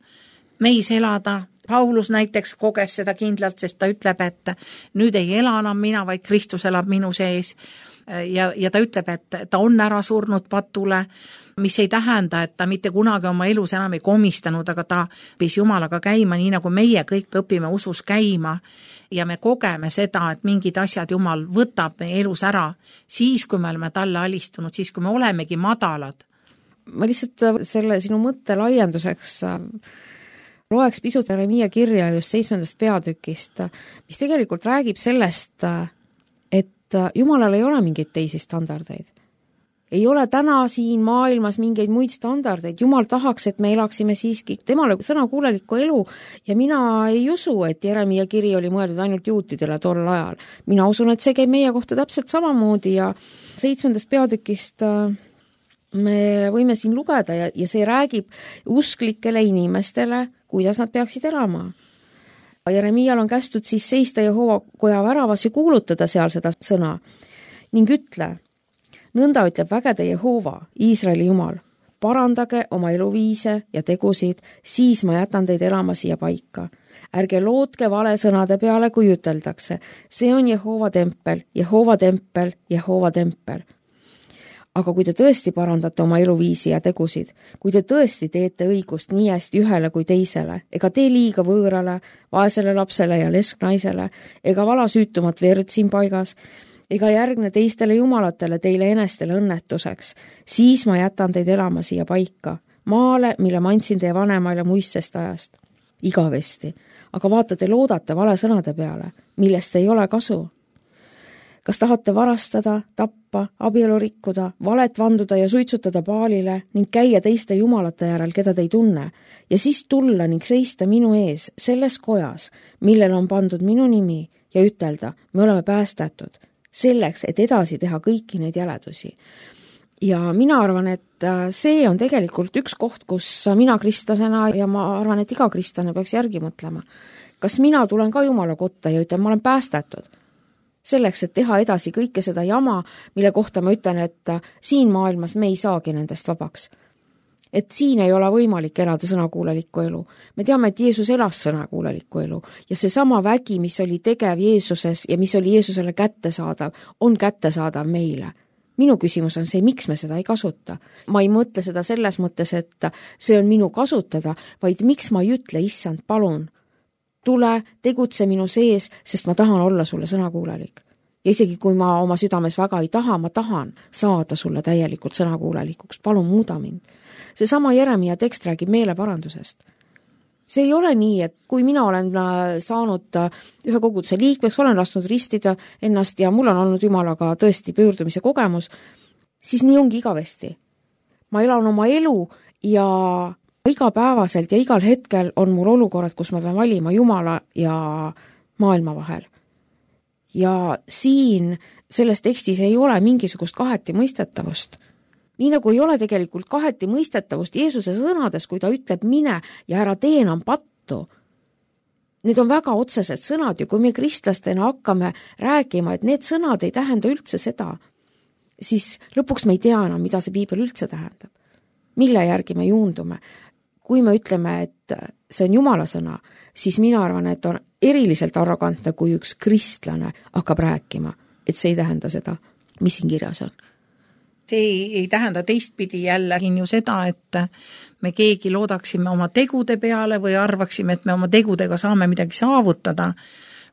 Speaker 2: meis elada. Paulus näiteks koges seda kindlalt, sest ta ütleb, et nüüd ei ela enam mina, vaid Kristus elab minu sees. Ja ta ütleb, et ta on ära surnud patule, mis ei tähenda, et ta mitte kunagi oma elus enam ei komistanud, aga ta õppis Jumalaga käima, nii nagu meie kõik õpime usus käima ja me kogeme seda, et mingid asjad Jumal võtab meie elus ära, siis kui me oleme talle alistunud, siis kui me olemegi madalad.
Speaker 1: Ma lihtsalt selle sinu mõtte laienduseks loeks pisut Jeremia kirja just 7. peatükist, mis tegelikult räägib sellest, et Jumalal ei ole mingeid teisi standardeid. Ei ole täna siin maailmas mingeid muid standardeid. Jumal tahaks, et me elaksime siiski temale sõnakuulelikku elu ja mina ei usu, et Jeremia kiri oli mõeldud ainult juutidele tol ajal. Mina usun, et see käib meie kohta täpselt samamoodi ja 7. peatükist me võime siin lugeda ja see räägib usklikele inimestele, kuidas nad peaksid elama. Jeremial on kästud siis seista Jehova koja väravas ja kuulutada seal seda sõna ning ütle, nõnda ütleb vägede Jehova, Iisraeli Jumal, parandage oma eluviise ja tegusid, siis ma jätan teid elama siia paika. Ärge lootke vale sõnade peale, kui üteldakse. See on Jehova tempel, Jehova tempel, Jehova tempel. Aga kui te tõesti parandate oma eluviisi ja tegusid, kui te tõesti teete õigust nii hästi ühele kui teisele, ega tee liiga võõrale, vaesele lapsele ja lesknaisele, ega vala süütumat verd siin paigas, ega järgne teistele jumalatele teile enestele õnnetuseks, siis ma jätan teid elama siia paika, maale, mille ma andsin teie vanemaile muistsest ajast, igavesti. Aga vaata, te loodate vale sõnade peale, millest ei ole kasu. Kas tahate varastada, tappa, abielu rikkuda, valet vanduda ja suitsutada Baalile ning käia teiste jumalate järel, keda te ei tunne, ja siis tulla ning seista minu ees selles kojas, millel on pandud minu nimi ja ütelda, me oleme päästetud, selleks, et edasi teha kõiki neid jäledusi. Ja mina arvan, et see on tegelikult üks koht, kus mina kristlasena ja ma arvan, et iga kristlane peaks järgi mõtlema. Kas mina tulen ka Jumala kotta ja ütlen, ma olen päästetud? Selleks, et teha edasi kõike seda jama, mille kohta ma ütlen, et siin maailmas me ei saagi nendest vabaks. Et siin ei ole võimalik elada sõnakuulelikku elu. Me teame, et Jeesus elas sõnakuulelikku elu ja see sama vägi, mis oli tegev Jeesuses ja mis oli Jeesusele kättesaadav, on kättesaadav meile. Minu küsimus on see, miks me seda ei kasuta. Ma ei mõtle seda selles mõttes, et see on minu kasutada, vaid miks ma ei ütle, issand, palun, tule, tegutse minu sees, sest ma tahan olla sulle sõnakuulelik. Ja isegi kui ma oma südames väga ei taha, ma tahan saada sulle täielikult sõnakuulelikuks. Palun muuda mind. See sama Jeremia tekst räägib meeleparandusest. See ei ole nii, et kui mina olen saanud ühe koguduse liikmeks, olen lasknud ristida ennast ja mul on olnud Jumalaga tõesti pöördumise kogemus, siis nii ongi igavesti. Ma elan oma elu ja igapäevaselt ja igal hetkel on mul olukorrad, kus ma pean valima Jumala ja maailma vahel. Ja siin selles tekstis ei ole mingisugust kaheti mõistetavust. Nii nagu ei ole tegelikult kaheti mõistetavust Jeesuse sõnades, kui ta ütleb mine ja ära tee enam pattu. Need on väga otsesed sõnad ja kui me kristlastena hakkame rääkima, et need sõnad ei tähenda üldse seda, siis lõpuks me ei tea enam, mida see piibel üldse tähendab. Mille järgi me juundume? Kui me ütleme, et see on Jumala sõna, siis mina arvan, et on eriliselt arrogantne, kui üks kristlane hakkab rääkima, et see ei tähenda seda, mis siin kirjas on.
Speaker 2: See ei tähenda teistpidi jälle ju seda, et me keegi loodaksime oma tegude peale või arvaksime, et me oma tegudega saame midagi saavutada,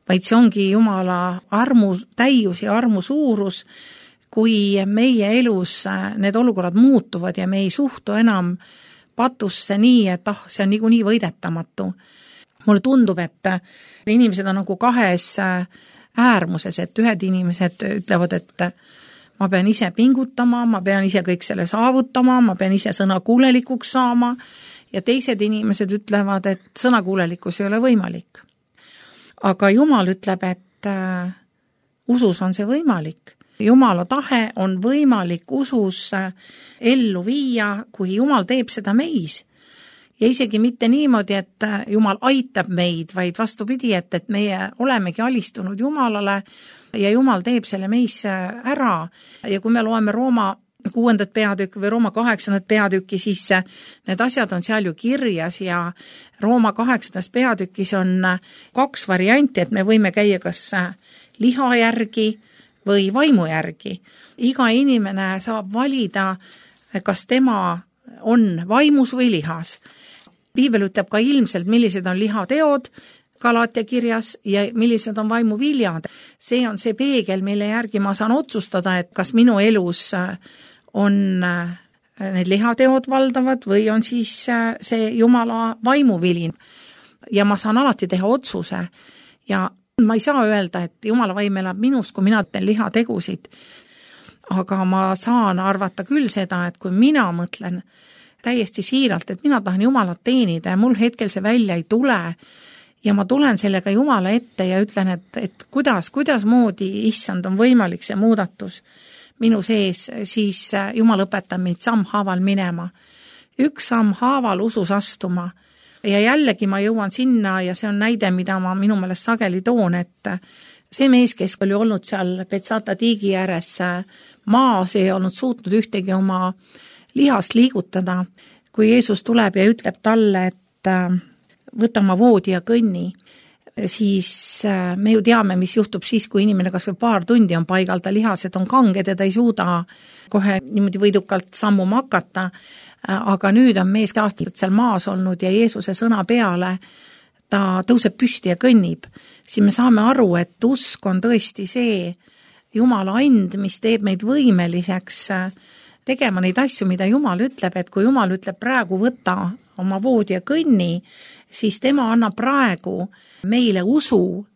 Speaker 2: vaid see ongi Jumala armu täius ja armu suurus, kui meie elus need olukorrad muutuvad ja me ei suhtu enam patusse nii, et see on niikuinii võidetamatu. Mulle tundub, et inimesed on nagu kahes äärmuses, et ühed inimesed ütlevad, et ma pean ise pingutama, ma pean ise kõik selle saavutama, ma pean ise sõnakuulelikuks saama ja teised inimesed ütlevad, et sõnakuulelikkus ei ole võimalik. Aga Jumal ütleb, et usus on see võimalik. Jumala tahe on võimalik usus ellu viia, kui Jumal teeb seda meis. ja isegi mitte niimoodi, et Jumal aitab meid, vaid vastupidi, et meie olemegi alistunud Jumalale ja Jumal teeb selle meisse ära ja kui me loeme Rooma 6. peatükki või Rooma 8. peatükki, siis need asjad on seal ju kirjas ja Rooma 8. peatükis on 2 varianti, et me võime käia kas liha järgi või vaimu järgi. Iga inimene saab valida, kas tema on vaimus või lihas. Piibel ütleb ka ilmselt, millised on lihateod Galaatia kirjas ja millised on vaimu viljad. See on see peegel, mille järgi ma saan otsustada, et kas minu elus on need lihateod valdavad või on siis see Jumala vaimuvili. Ja ma saan alati teha otsuse ja ma ei saa öelda, et Jumala vaim elab minus, kui mina teen lihategusid. Aga ma saan arvata küll seda, et kui mina mõtlen täiesti siiralt, et mina tahan Jumalat teenida ja mul hetkel see välja ei tule ja ma tulen sellega Jumala ette ja ütlen, et kuidas moodi, issand, on võimalik see muudatus minu sees, siis Jumal õpetab meid sammhaaval minema. 1 sammhaaval usus astuma ja jällegi ma jõuan sinna ja see on näide, mida ma minu meelest sageli toon, et see mees, kes oli olnud seal Betsata tiigi ääres maas, ei olnud suutnud ühtegi oma lihast liigutada, kui Jeesus tuleb ja ütleb talle, et võta oma voodi ja kõnni, siis me ju teame, mis juhtub siis, kui inimene kas või paar tundi on paigal, ta lihased on kanged ja ta ei suuda kohe niimoodi võidukalt sammuma hakata, aga nüüd on mees aastaid seal maas olnud ja Jeesuse sõna peale ta tõuseb püsti ja kõnnib. Siis me saame aru, et usk on tõesti see Jumala and, mis teeb meid võimeliseks tegema neid asju, mida Jumal ütleb, et kui Jumal ütleb praegu võta oma voodi ja kõnni, siis tema annab praegu meile usu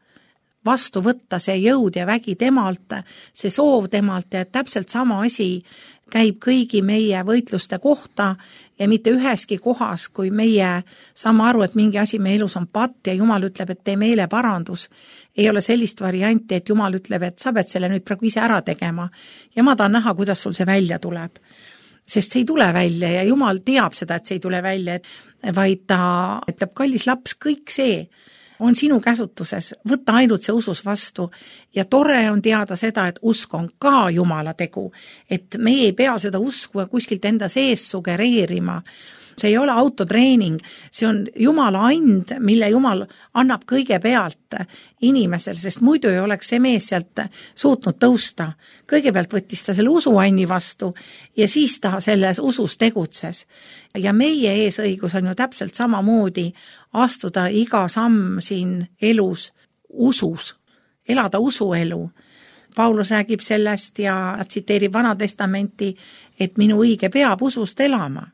Speaker 2: vastu võtta see jõud ja vägi temalt, see soov temalt ja täpselt sama asi käib kõigi meie võitluste kohta ja mitte üheski kohas, kui meie saame aru, et mingi asi meie elus on patt ja Jumal ütleb, et tee meeleparandus, ei ole sellist varianti, et Jumal ütleb, et sa pead selle nüüd praegu ise ära tegema ja ma tahan näha, kuidas sul see välja tuleb. Sest see ei tule välja ja Jumal teab seda, et see ei tule välja, vaid ta ütleb, kallis laps, kõik see on sinu käsutuses, võtta ainult see usus vastu ja tore on teada seda, et usk on ka Jumala tegu, et me ei pea seda usku kuskilt enda sees sugereerima. See ei ole autotreening, see on Jumala and, mille Jumal annab kõigepealt inimesel, sest muidu ei oleks see mees sealt suutnud tõusta. Kõigepealt võttis ta selle usuanni vastu ja siis ta selles usus tegutses. Ja meie eesõigus on ju täpselt samamoodi astuda iga samm siin elus usus, elada usuelu. Paulus räägib sellest ja tsiteerib Vana Testamenti, et minu õige peab usust elama.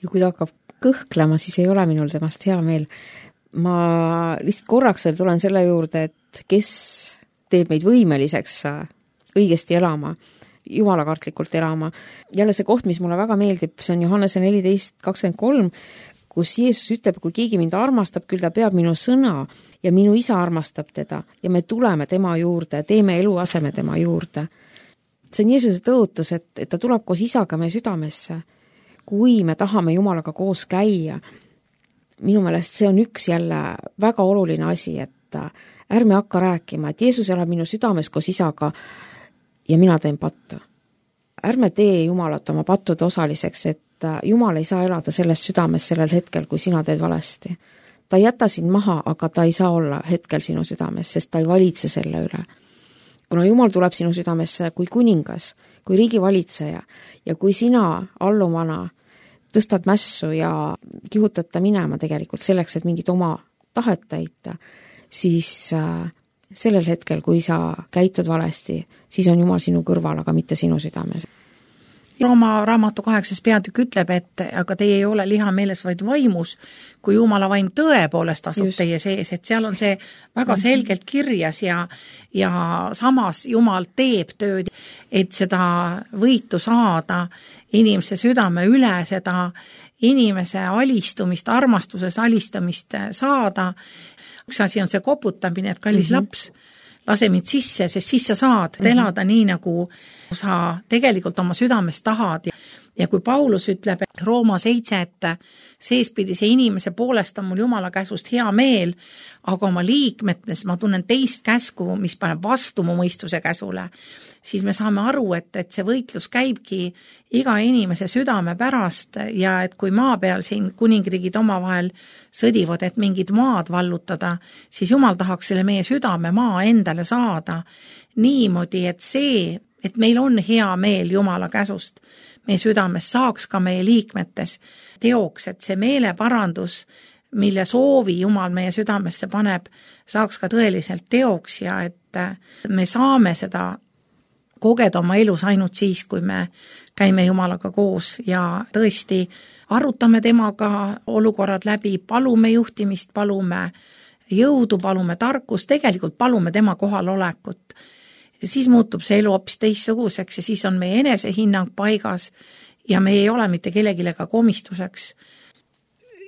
Speaker 1: Ja kui ta hakkab kõhklema, siis ei ole minul temast hea meel. Ma lihtsalt korraks veel tulen selle juurde, et kes teeb meid võimeliseks õigesti elama, jumalakartlikult elama. Jälle see koht, mis mulle väga meeldib, see on Johannese 14:23, kus Jeesus ütleb, kui keegi mind armastab, küll ta peab minu sõna ja minu isa armastab teda ja me tuleme tema juurde, teeme eluaseme tema juurde. See on Jeesuse tõotus, et ta tuleb koos isaga meie südamesse. Kui me tahame Jumalaga koos käia, minu meelest see on üks jälle väga oluline asi, et ärme hakka rääkima, et Jeesus elab minu südames koos isaga ja mina teen pattu. Ärme tee Jumalat oma pattude osaliseks, et Jumal ei saa elada selles südames sellel hetkel, kui sina teed valesti. Ta ei jäta sind maha, aga ta ei saa olla hetkel sinu südames, sest ta ei valitse selle üle. Kuna Jumal tuleb sinu südamesse kui kuningas, kui riigivalitseja ja kui sina allumana tõstad mässu ja kihutad ta minema tegelikult selleks, et mingit oma tahet täita, siis sellel hetkel, kui sa käitud valesti, siis on Jumal sinu kõrval, aga mitte sinu südames.
Speaker 2: Rooma raamatu 8. peatükk ütleb, et aga teie ei ole liha meeles, vaid vaimus, kui Jumala vaim tõepoolest asub teie sees, et seal on see väga selgelt kirjas ja samas Jumal teeb tööd, et seda võitu saada inimese südame üle, seda inimese alistumist, armastuses alistamist saada. Üks asi on see koputamine, et kallis laps, lase mind sisse, sest siis sa saad elada nii, nagu sa tegelikult oma südames tahad. Ja kui Paulus ütleb Rooma 7, et seespidise inimese poolest on mul Jumala käsust hea meel, aga oma liikmetes ma tunnen teist käsku, mis paneb vastu mu mõistuse käsule, siis me saame aru, et see võitlus käibki iga inimese südame pärast ja et kui maa peal siin kuningriigid omavahel sõdivad, et mingid maad vallutada, siis Jumal tahaks selle meie südame maa endale saada niimoodi, et see, et meil on hea meel Jumala käsust meie südames, saaks ka meie liikmetes teoks, et see meeleparandus, mille soovi Jumal meie südamesse paneb, saaks ka tõeliselt teoks ja et me saame seda kogeda oma elus ainult siis, kui me käime Jumalaga koos ja tõesti arutame temaga olukorrad läbi, palume juhtimist, palume jõudu, palume tarkust, tegelikult palume tema kohalolekut. Ja siis muutub see elu hoopis teistsuguseks ja siis on meie enesehinnang paigas ja me ei ole mitte kellegilega komistuseks.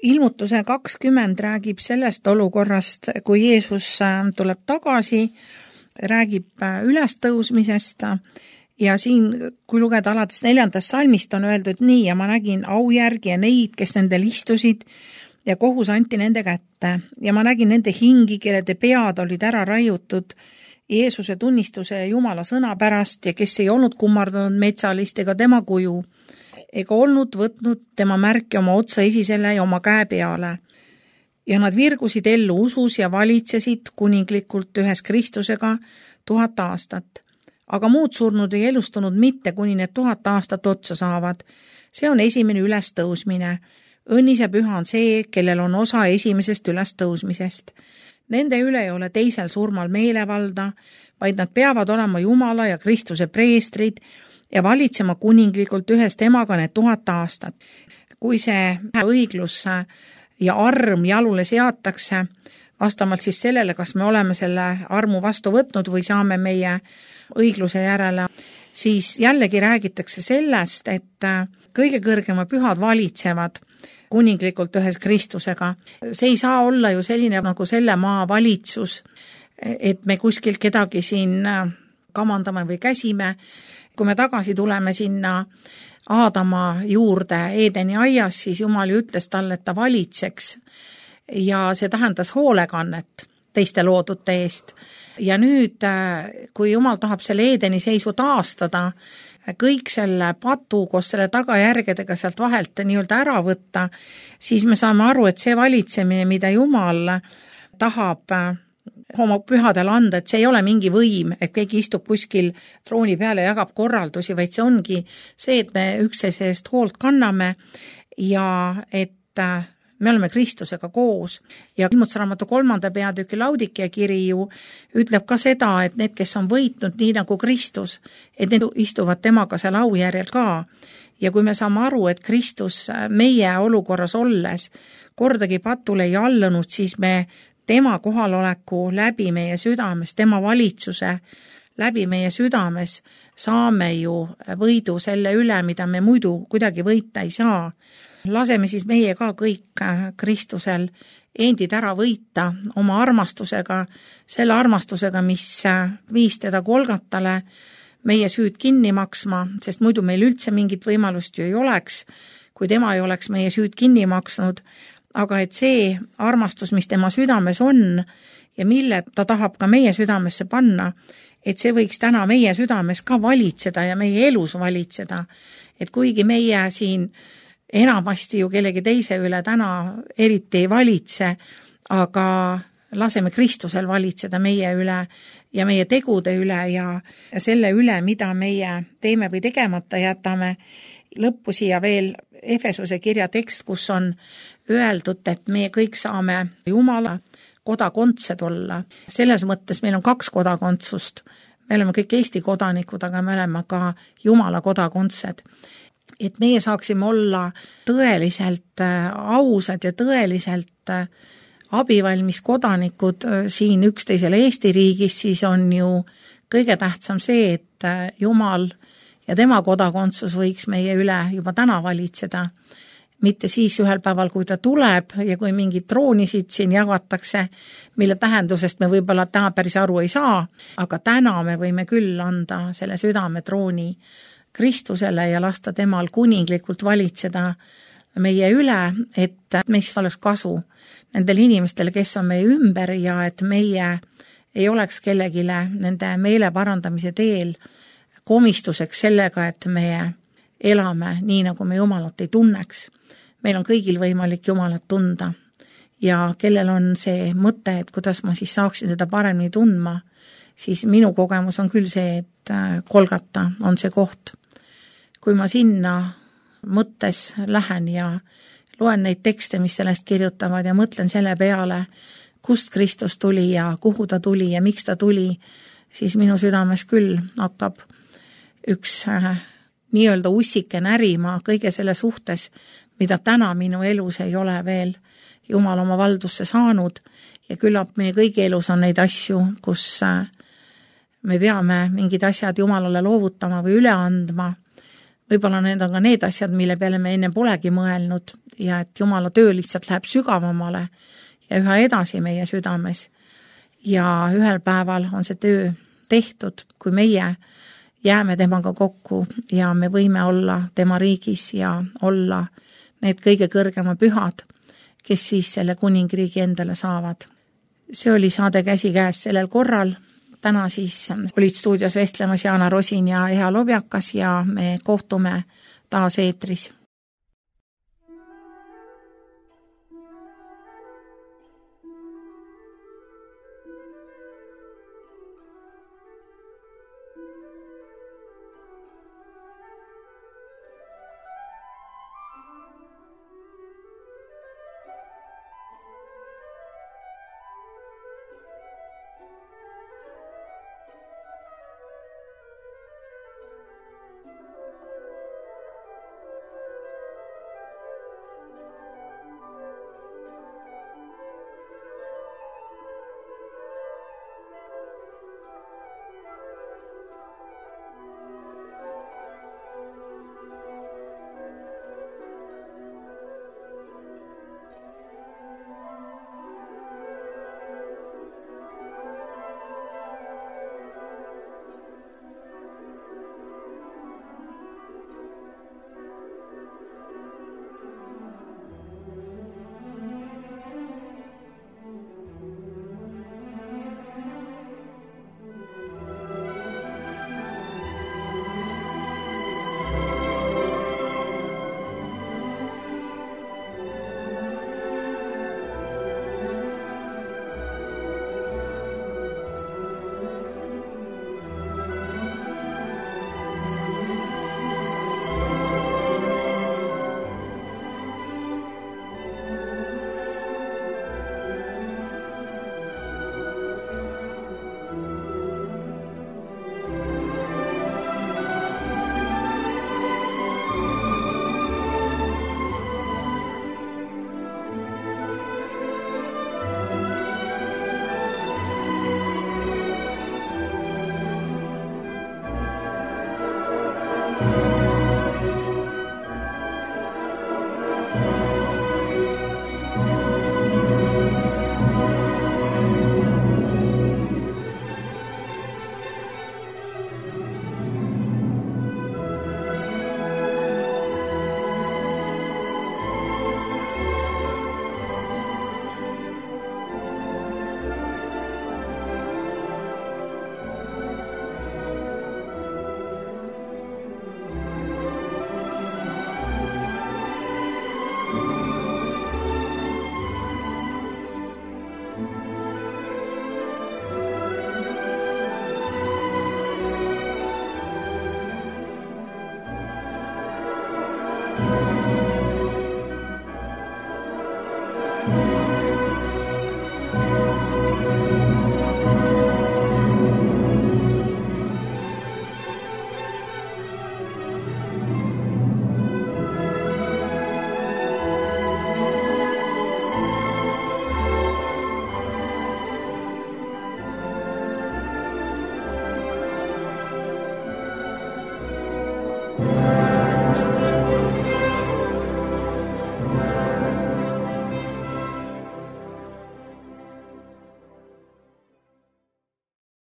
Speaker 2: Ilmutuse 20 räägib sellest olukorrast, kui Jeesus tuleb tagasi, räägib ülestõusmisest ja siin, kui lugeda alates 4. salmist, on öeldud nii ja ma nägin aujärgi ja neid, kes nendel istusid ja kohus anti nende kätte ja ma nägin nende hingi, kellede pead olid ära raiutud Jeesuse tunnistuse ja Jumala sõna pärast ja kes ei olnud kummardanud metsalist ega tema kuju, ega olnud võtnud tema märki oma otsa esisele ja oma käe peale. Ja nad virgusid ellu usus ja valitsesid kuninglikult ühes Kristusega 1000 aastat. Aga muud surnud ei elustunud mitte, kuni need 1000 aastat otsa saavad. See on esimene ülestõusmine. Õnnis ja püha on see, kellel on osa esimesest ülestõusmisest. Nende üle ei ole teisel surmal meelevalda, vaid nad peavad olema Jumala ja Kristuse preestrid ja valitsema kuninglikult ühes temaga need 1000 aastat. Kui see õiglus ja arm jalule seatakse, vastavalt siis sellele, kas me oleme selle armu vastu võtnud või saame meie õigluse järele, siis jällegi räägitakse sellest, et kõige kõrgema pühad valitsevad kuninglikult ühes Kristusega. See ei saa olla ju selline nagu selle maa valitsus, et me kuskilt kedagi siin kamandame või käsime. Kui me tagasi tuleme sinna Aadama juurde Eedeni aias, siis Jumal ju ütles talle, et ta valitseks ja see tähendas hoolekannet teiste loodute eest. Ja nüüd, kui Jumal tahab selle Eedeni seisu taastada, kõik selle patu koos selle tagajärgedega sealt vahelt nii-öelda ära võtta, siis me saame aru, et see valitsemine, mida Jumal tahab oma pühadel anda, et see ei ole mingi võim, et keegi istub kuskil trooni peale ja jagab korraldusi, vaid see ongi see, et me üksteise eest hoolt kanname ja et me oleme Kristusega koos. Ja Ilmutusraamatu 3. peatüki Laudikea kiri ju ütleb ka seda, et need, kes on võitnud nii nagu Kristus, et need istuvad temaga seal aujärjel ka. Ja kui me saame aru, et Kristus meie olukorras olles kordagi patule ei allunud, siis me tema kohaloleku läbi meie südames, tema valitsuse läbi meie südames saame ju võidu selle üle, mida me muidu kuidagi võita ei saa. Laseme siis meie ka kõik Kristusel endid ära võita oma armastusega, selle armastusega, mis viis teda Golgatale meie süüd kinni maksma, sest muidu meil üldse mingit võimalust ju ei oleks, kui tema ei oleks meie süüd kinni maksnud, aga et see armastus, mis tema südames on ja mille ta tahab ka meie südamesse panna, et see võiks täna meie südames ka valitseda ja meie elus valitseda, et kuigi meie siin enamasti ju kellegi teise üle täna eriti ei valitse, aga laseme Kristusel valitseda meie üle ja meie tegude üle ja selle üle, mida meie teeme või tegemata jätame. Lõppu siia veel Efesuse kirja tekst, kus on öeldud, et meie kõik saame Jumala kodakondsed olla. Selles mõttes meil on 2 kodakondsust. Me oleme kõik Eesti kodanikud, aga me oleme ka Jumala kodakondsed. Et meie saaksime olla tõeliselt ausad ja tõeliselt abivalmis kodanikud siin üksteisele Eesti riigis, siis on ju kõige tähtsam see, et Jumal ja tema kodakondsus võiks meie üle juba täna valitseda. Mitte siis ühel päeval, kui ta tuleb ja kui mingid troonisid siin jagatakse, mille tähendusest me võib-olla täna päris aru ei saa, aga täna me võime küll anda selle südame trooni Kristusele ja lasta temal kuninglikult valitseda meie üle, et meist oleks kasu nendel inimestel, kes on meie ümber ja et meie ei oleks kellegile nende meele parandamise teel komistuseks sellega, et me elame nii, nagu me Jumalat ei tunneks. Meil on kõigil võimalik Jumalat tunda ja kellel on see mõte, et kuidas ma siis saaksin teda paremini tundma, siis minu kogemus on küll see, et Golgata on see koht. Kui ma sinna mõttes lähen ja loen neid tekste, mis sellest kirjutavad ja mõtlen selle peale, kust Kristus tuli ja kuhu ta tuli ja miks ta tuli, siis minu südames küll hakkab üks nii-öelda ussike närima kõige selle suhtes, mida täna minu elus ei ole veel Jumal oma valdusse saanud ja küllap meie kõigi elus on neid asju, kus me peame mingid asjad Jumalale loovutama või üle andma. Võib-olla need on ka need asjad, mille peale me enne polegi mõelnud ja et Jumala töö lihtsalt läheb sügavamale ja üha edasi meie südames. Ja ühel päeval on see töö tehtud, kui meie jääme temaga kokku ja me võime olla tema riigis ja olla need kõige kõrgema pühad, kes siis selle kuningriigi endale saavad. See oli saade Käsikäes sellel korral. Täna siis olid stuudios vestlemas Jaana Rosin ja Eha Lobjakas ja me kohtume taas eetris.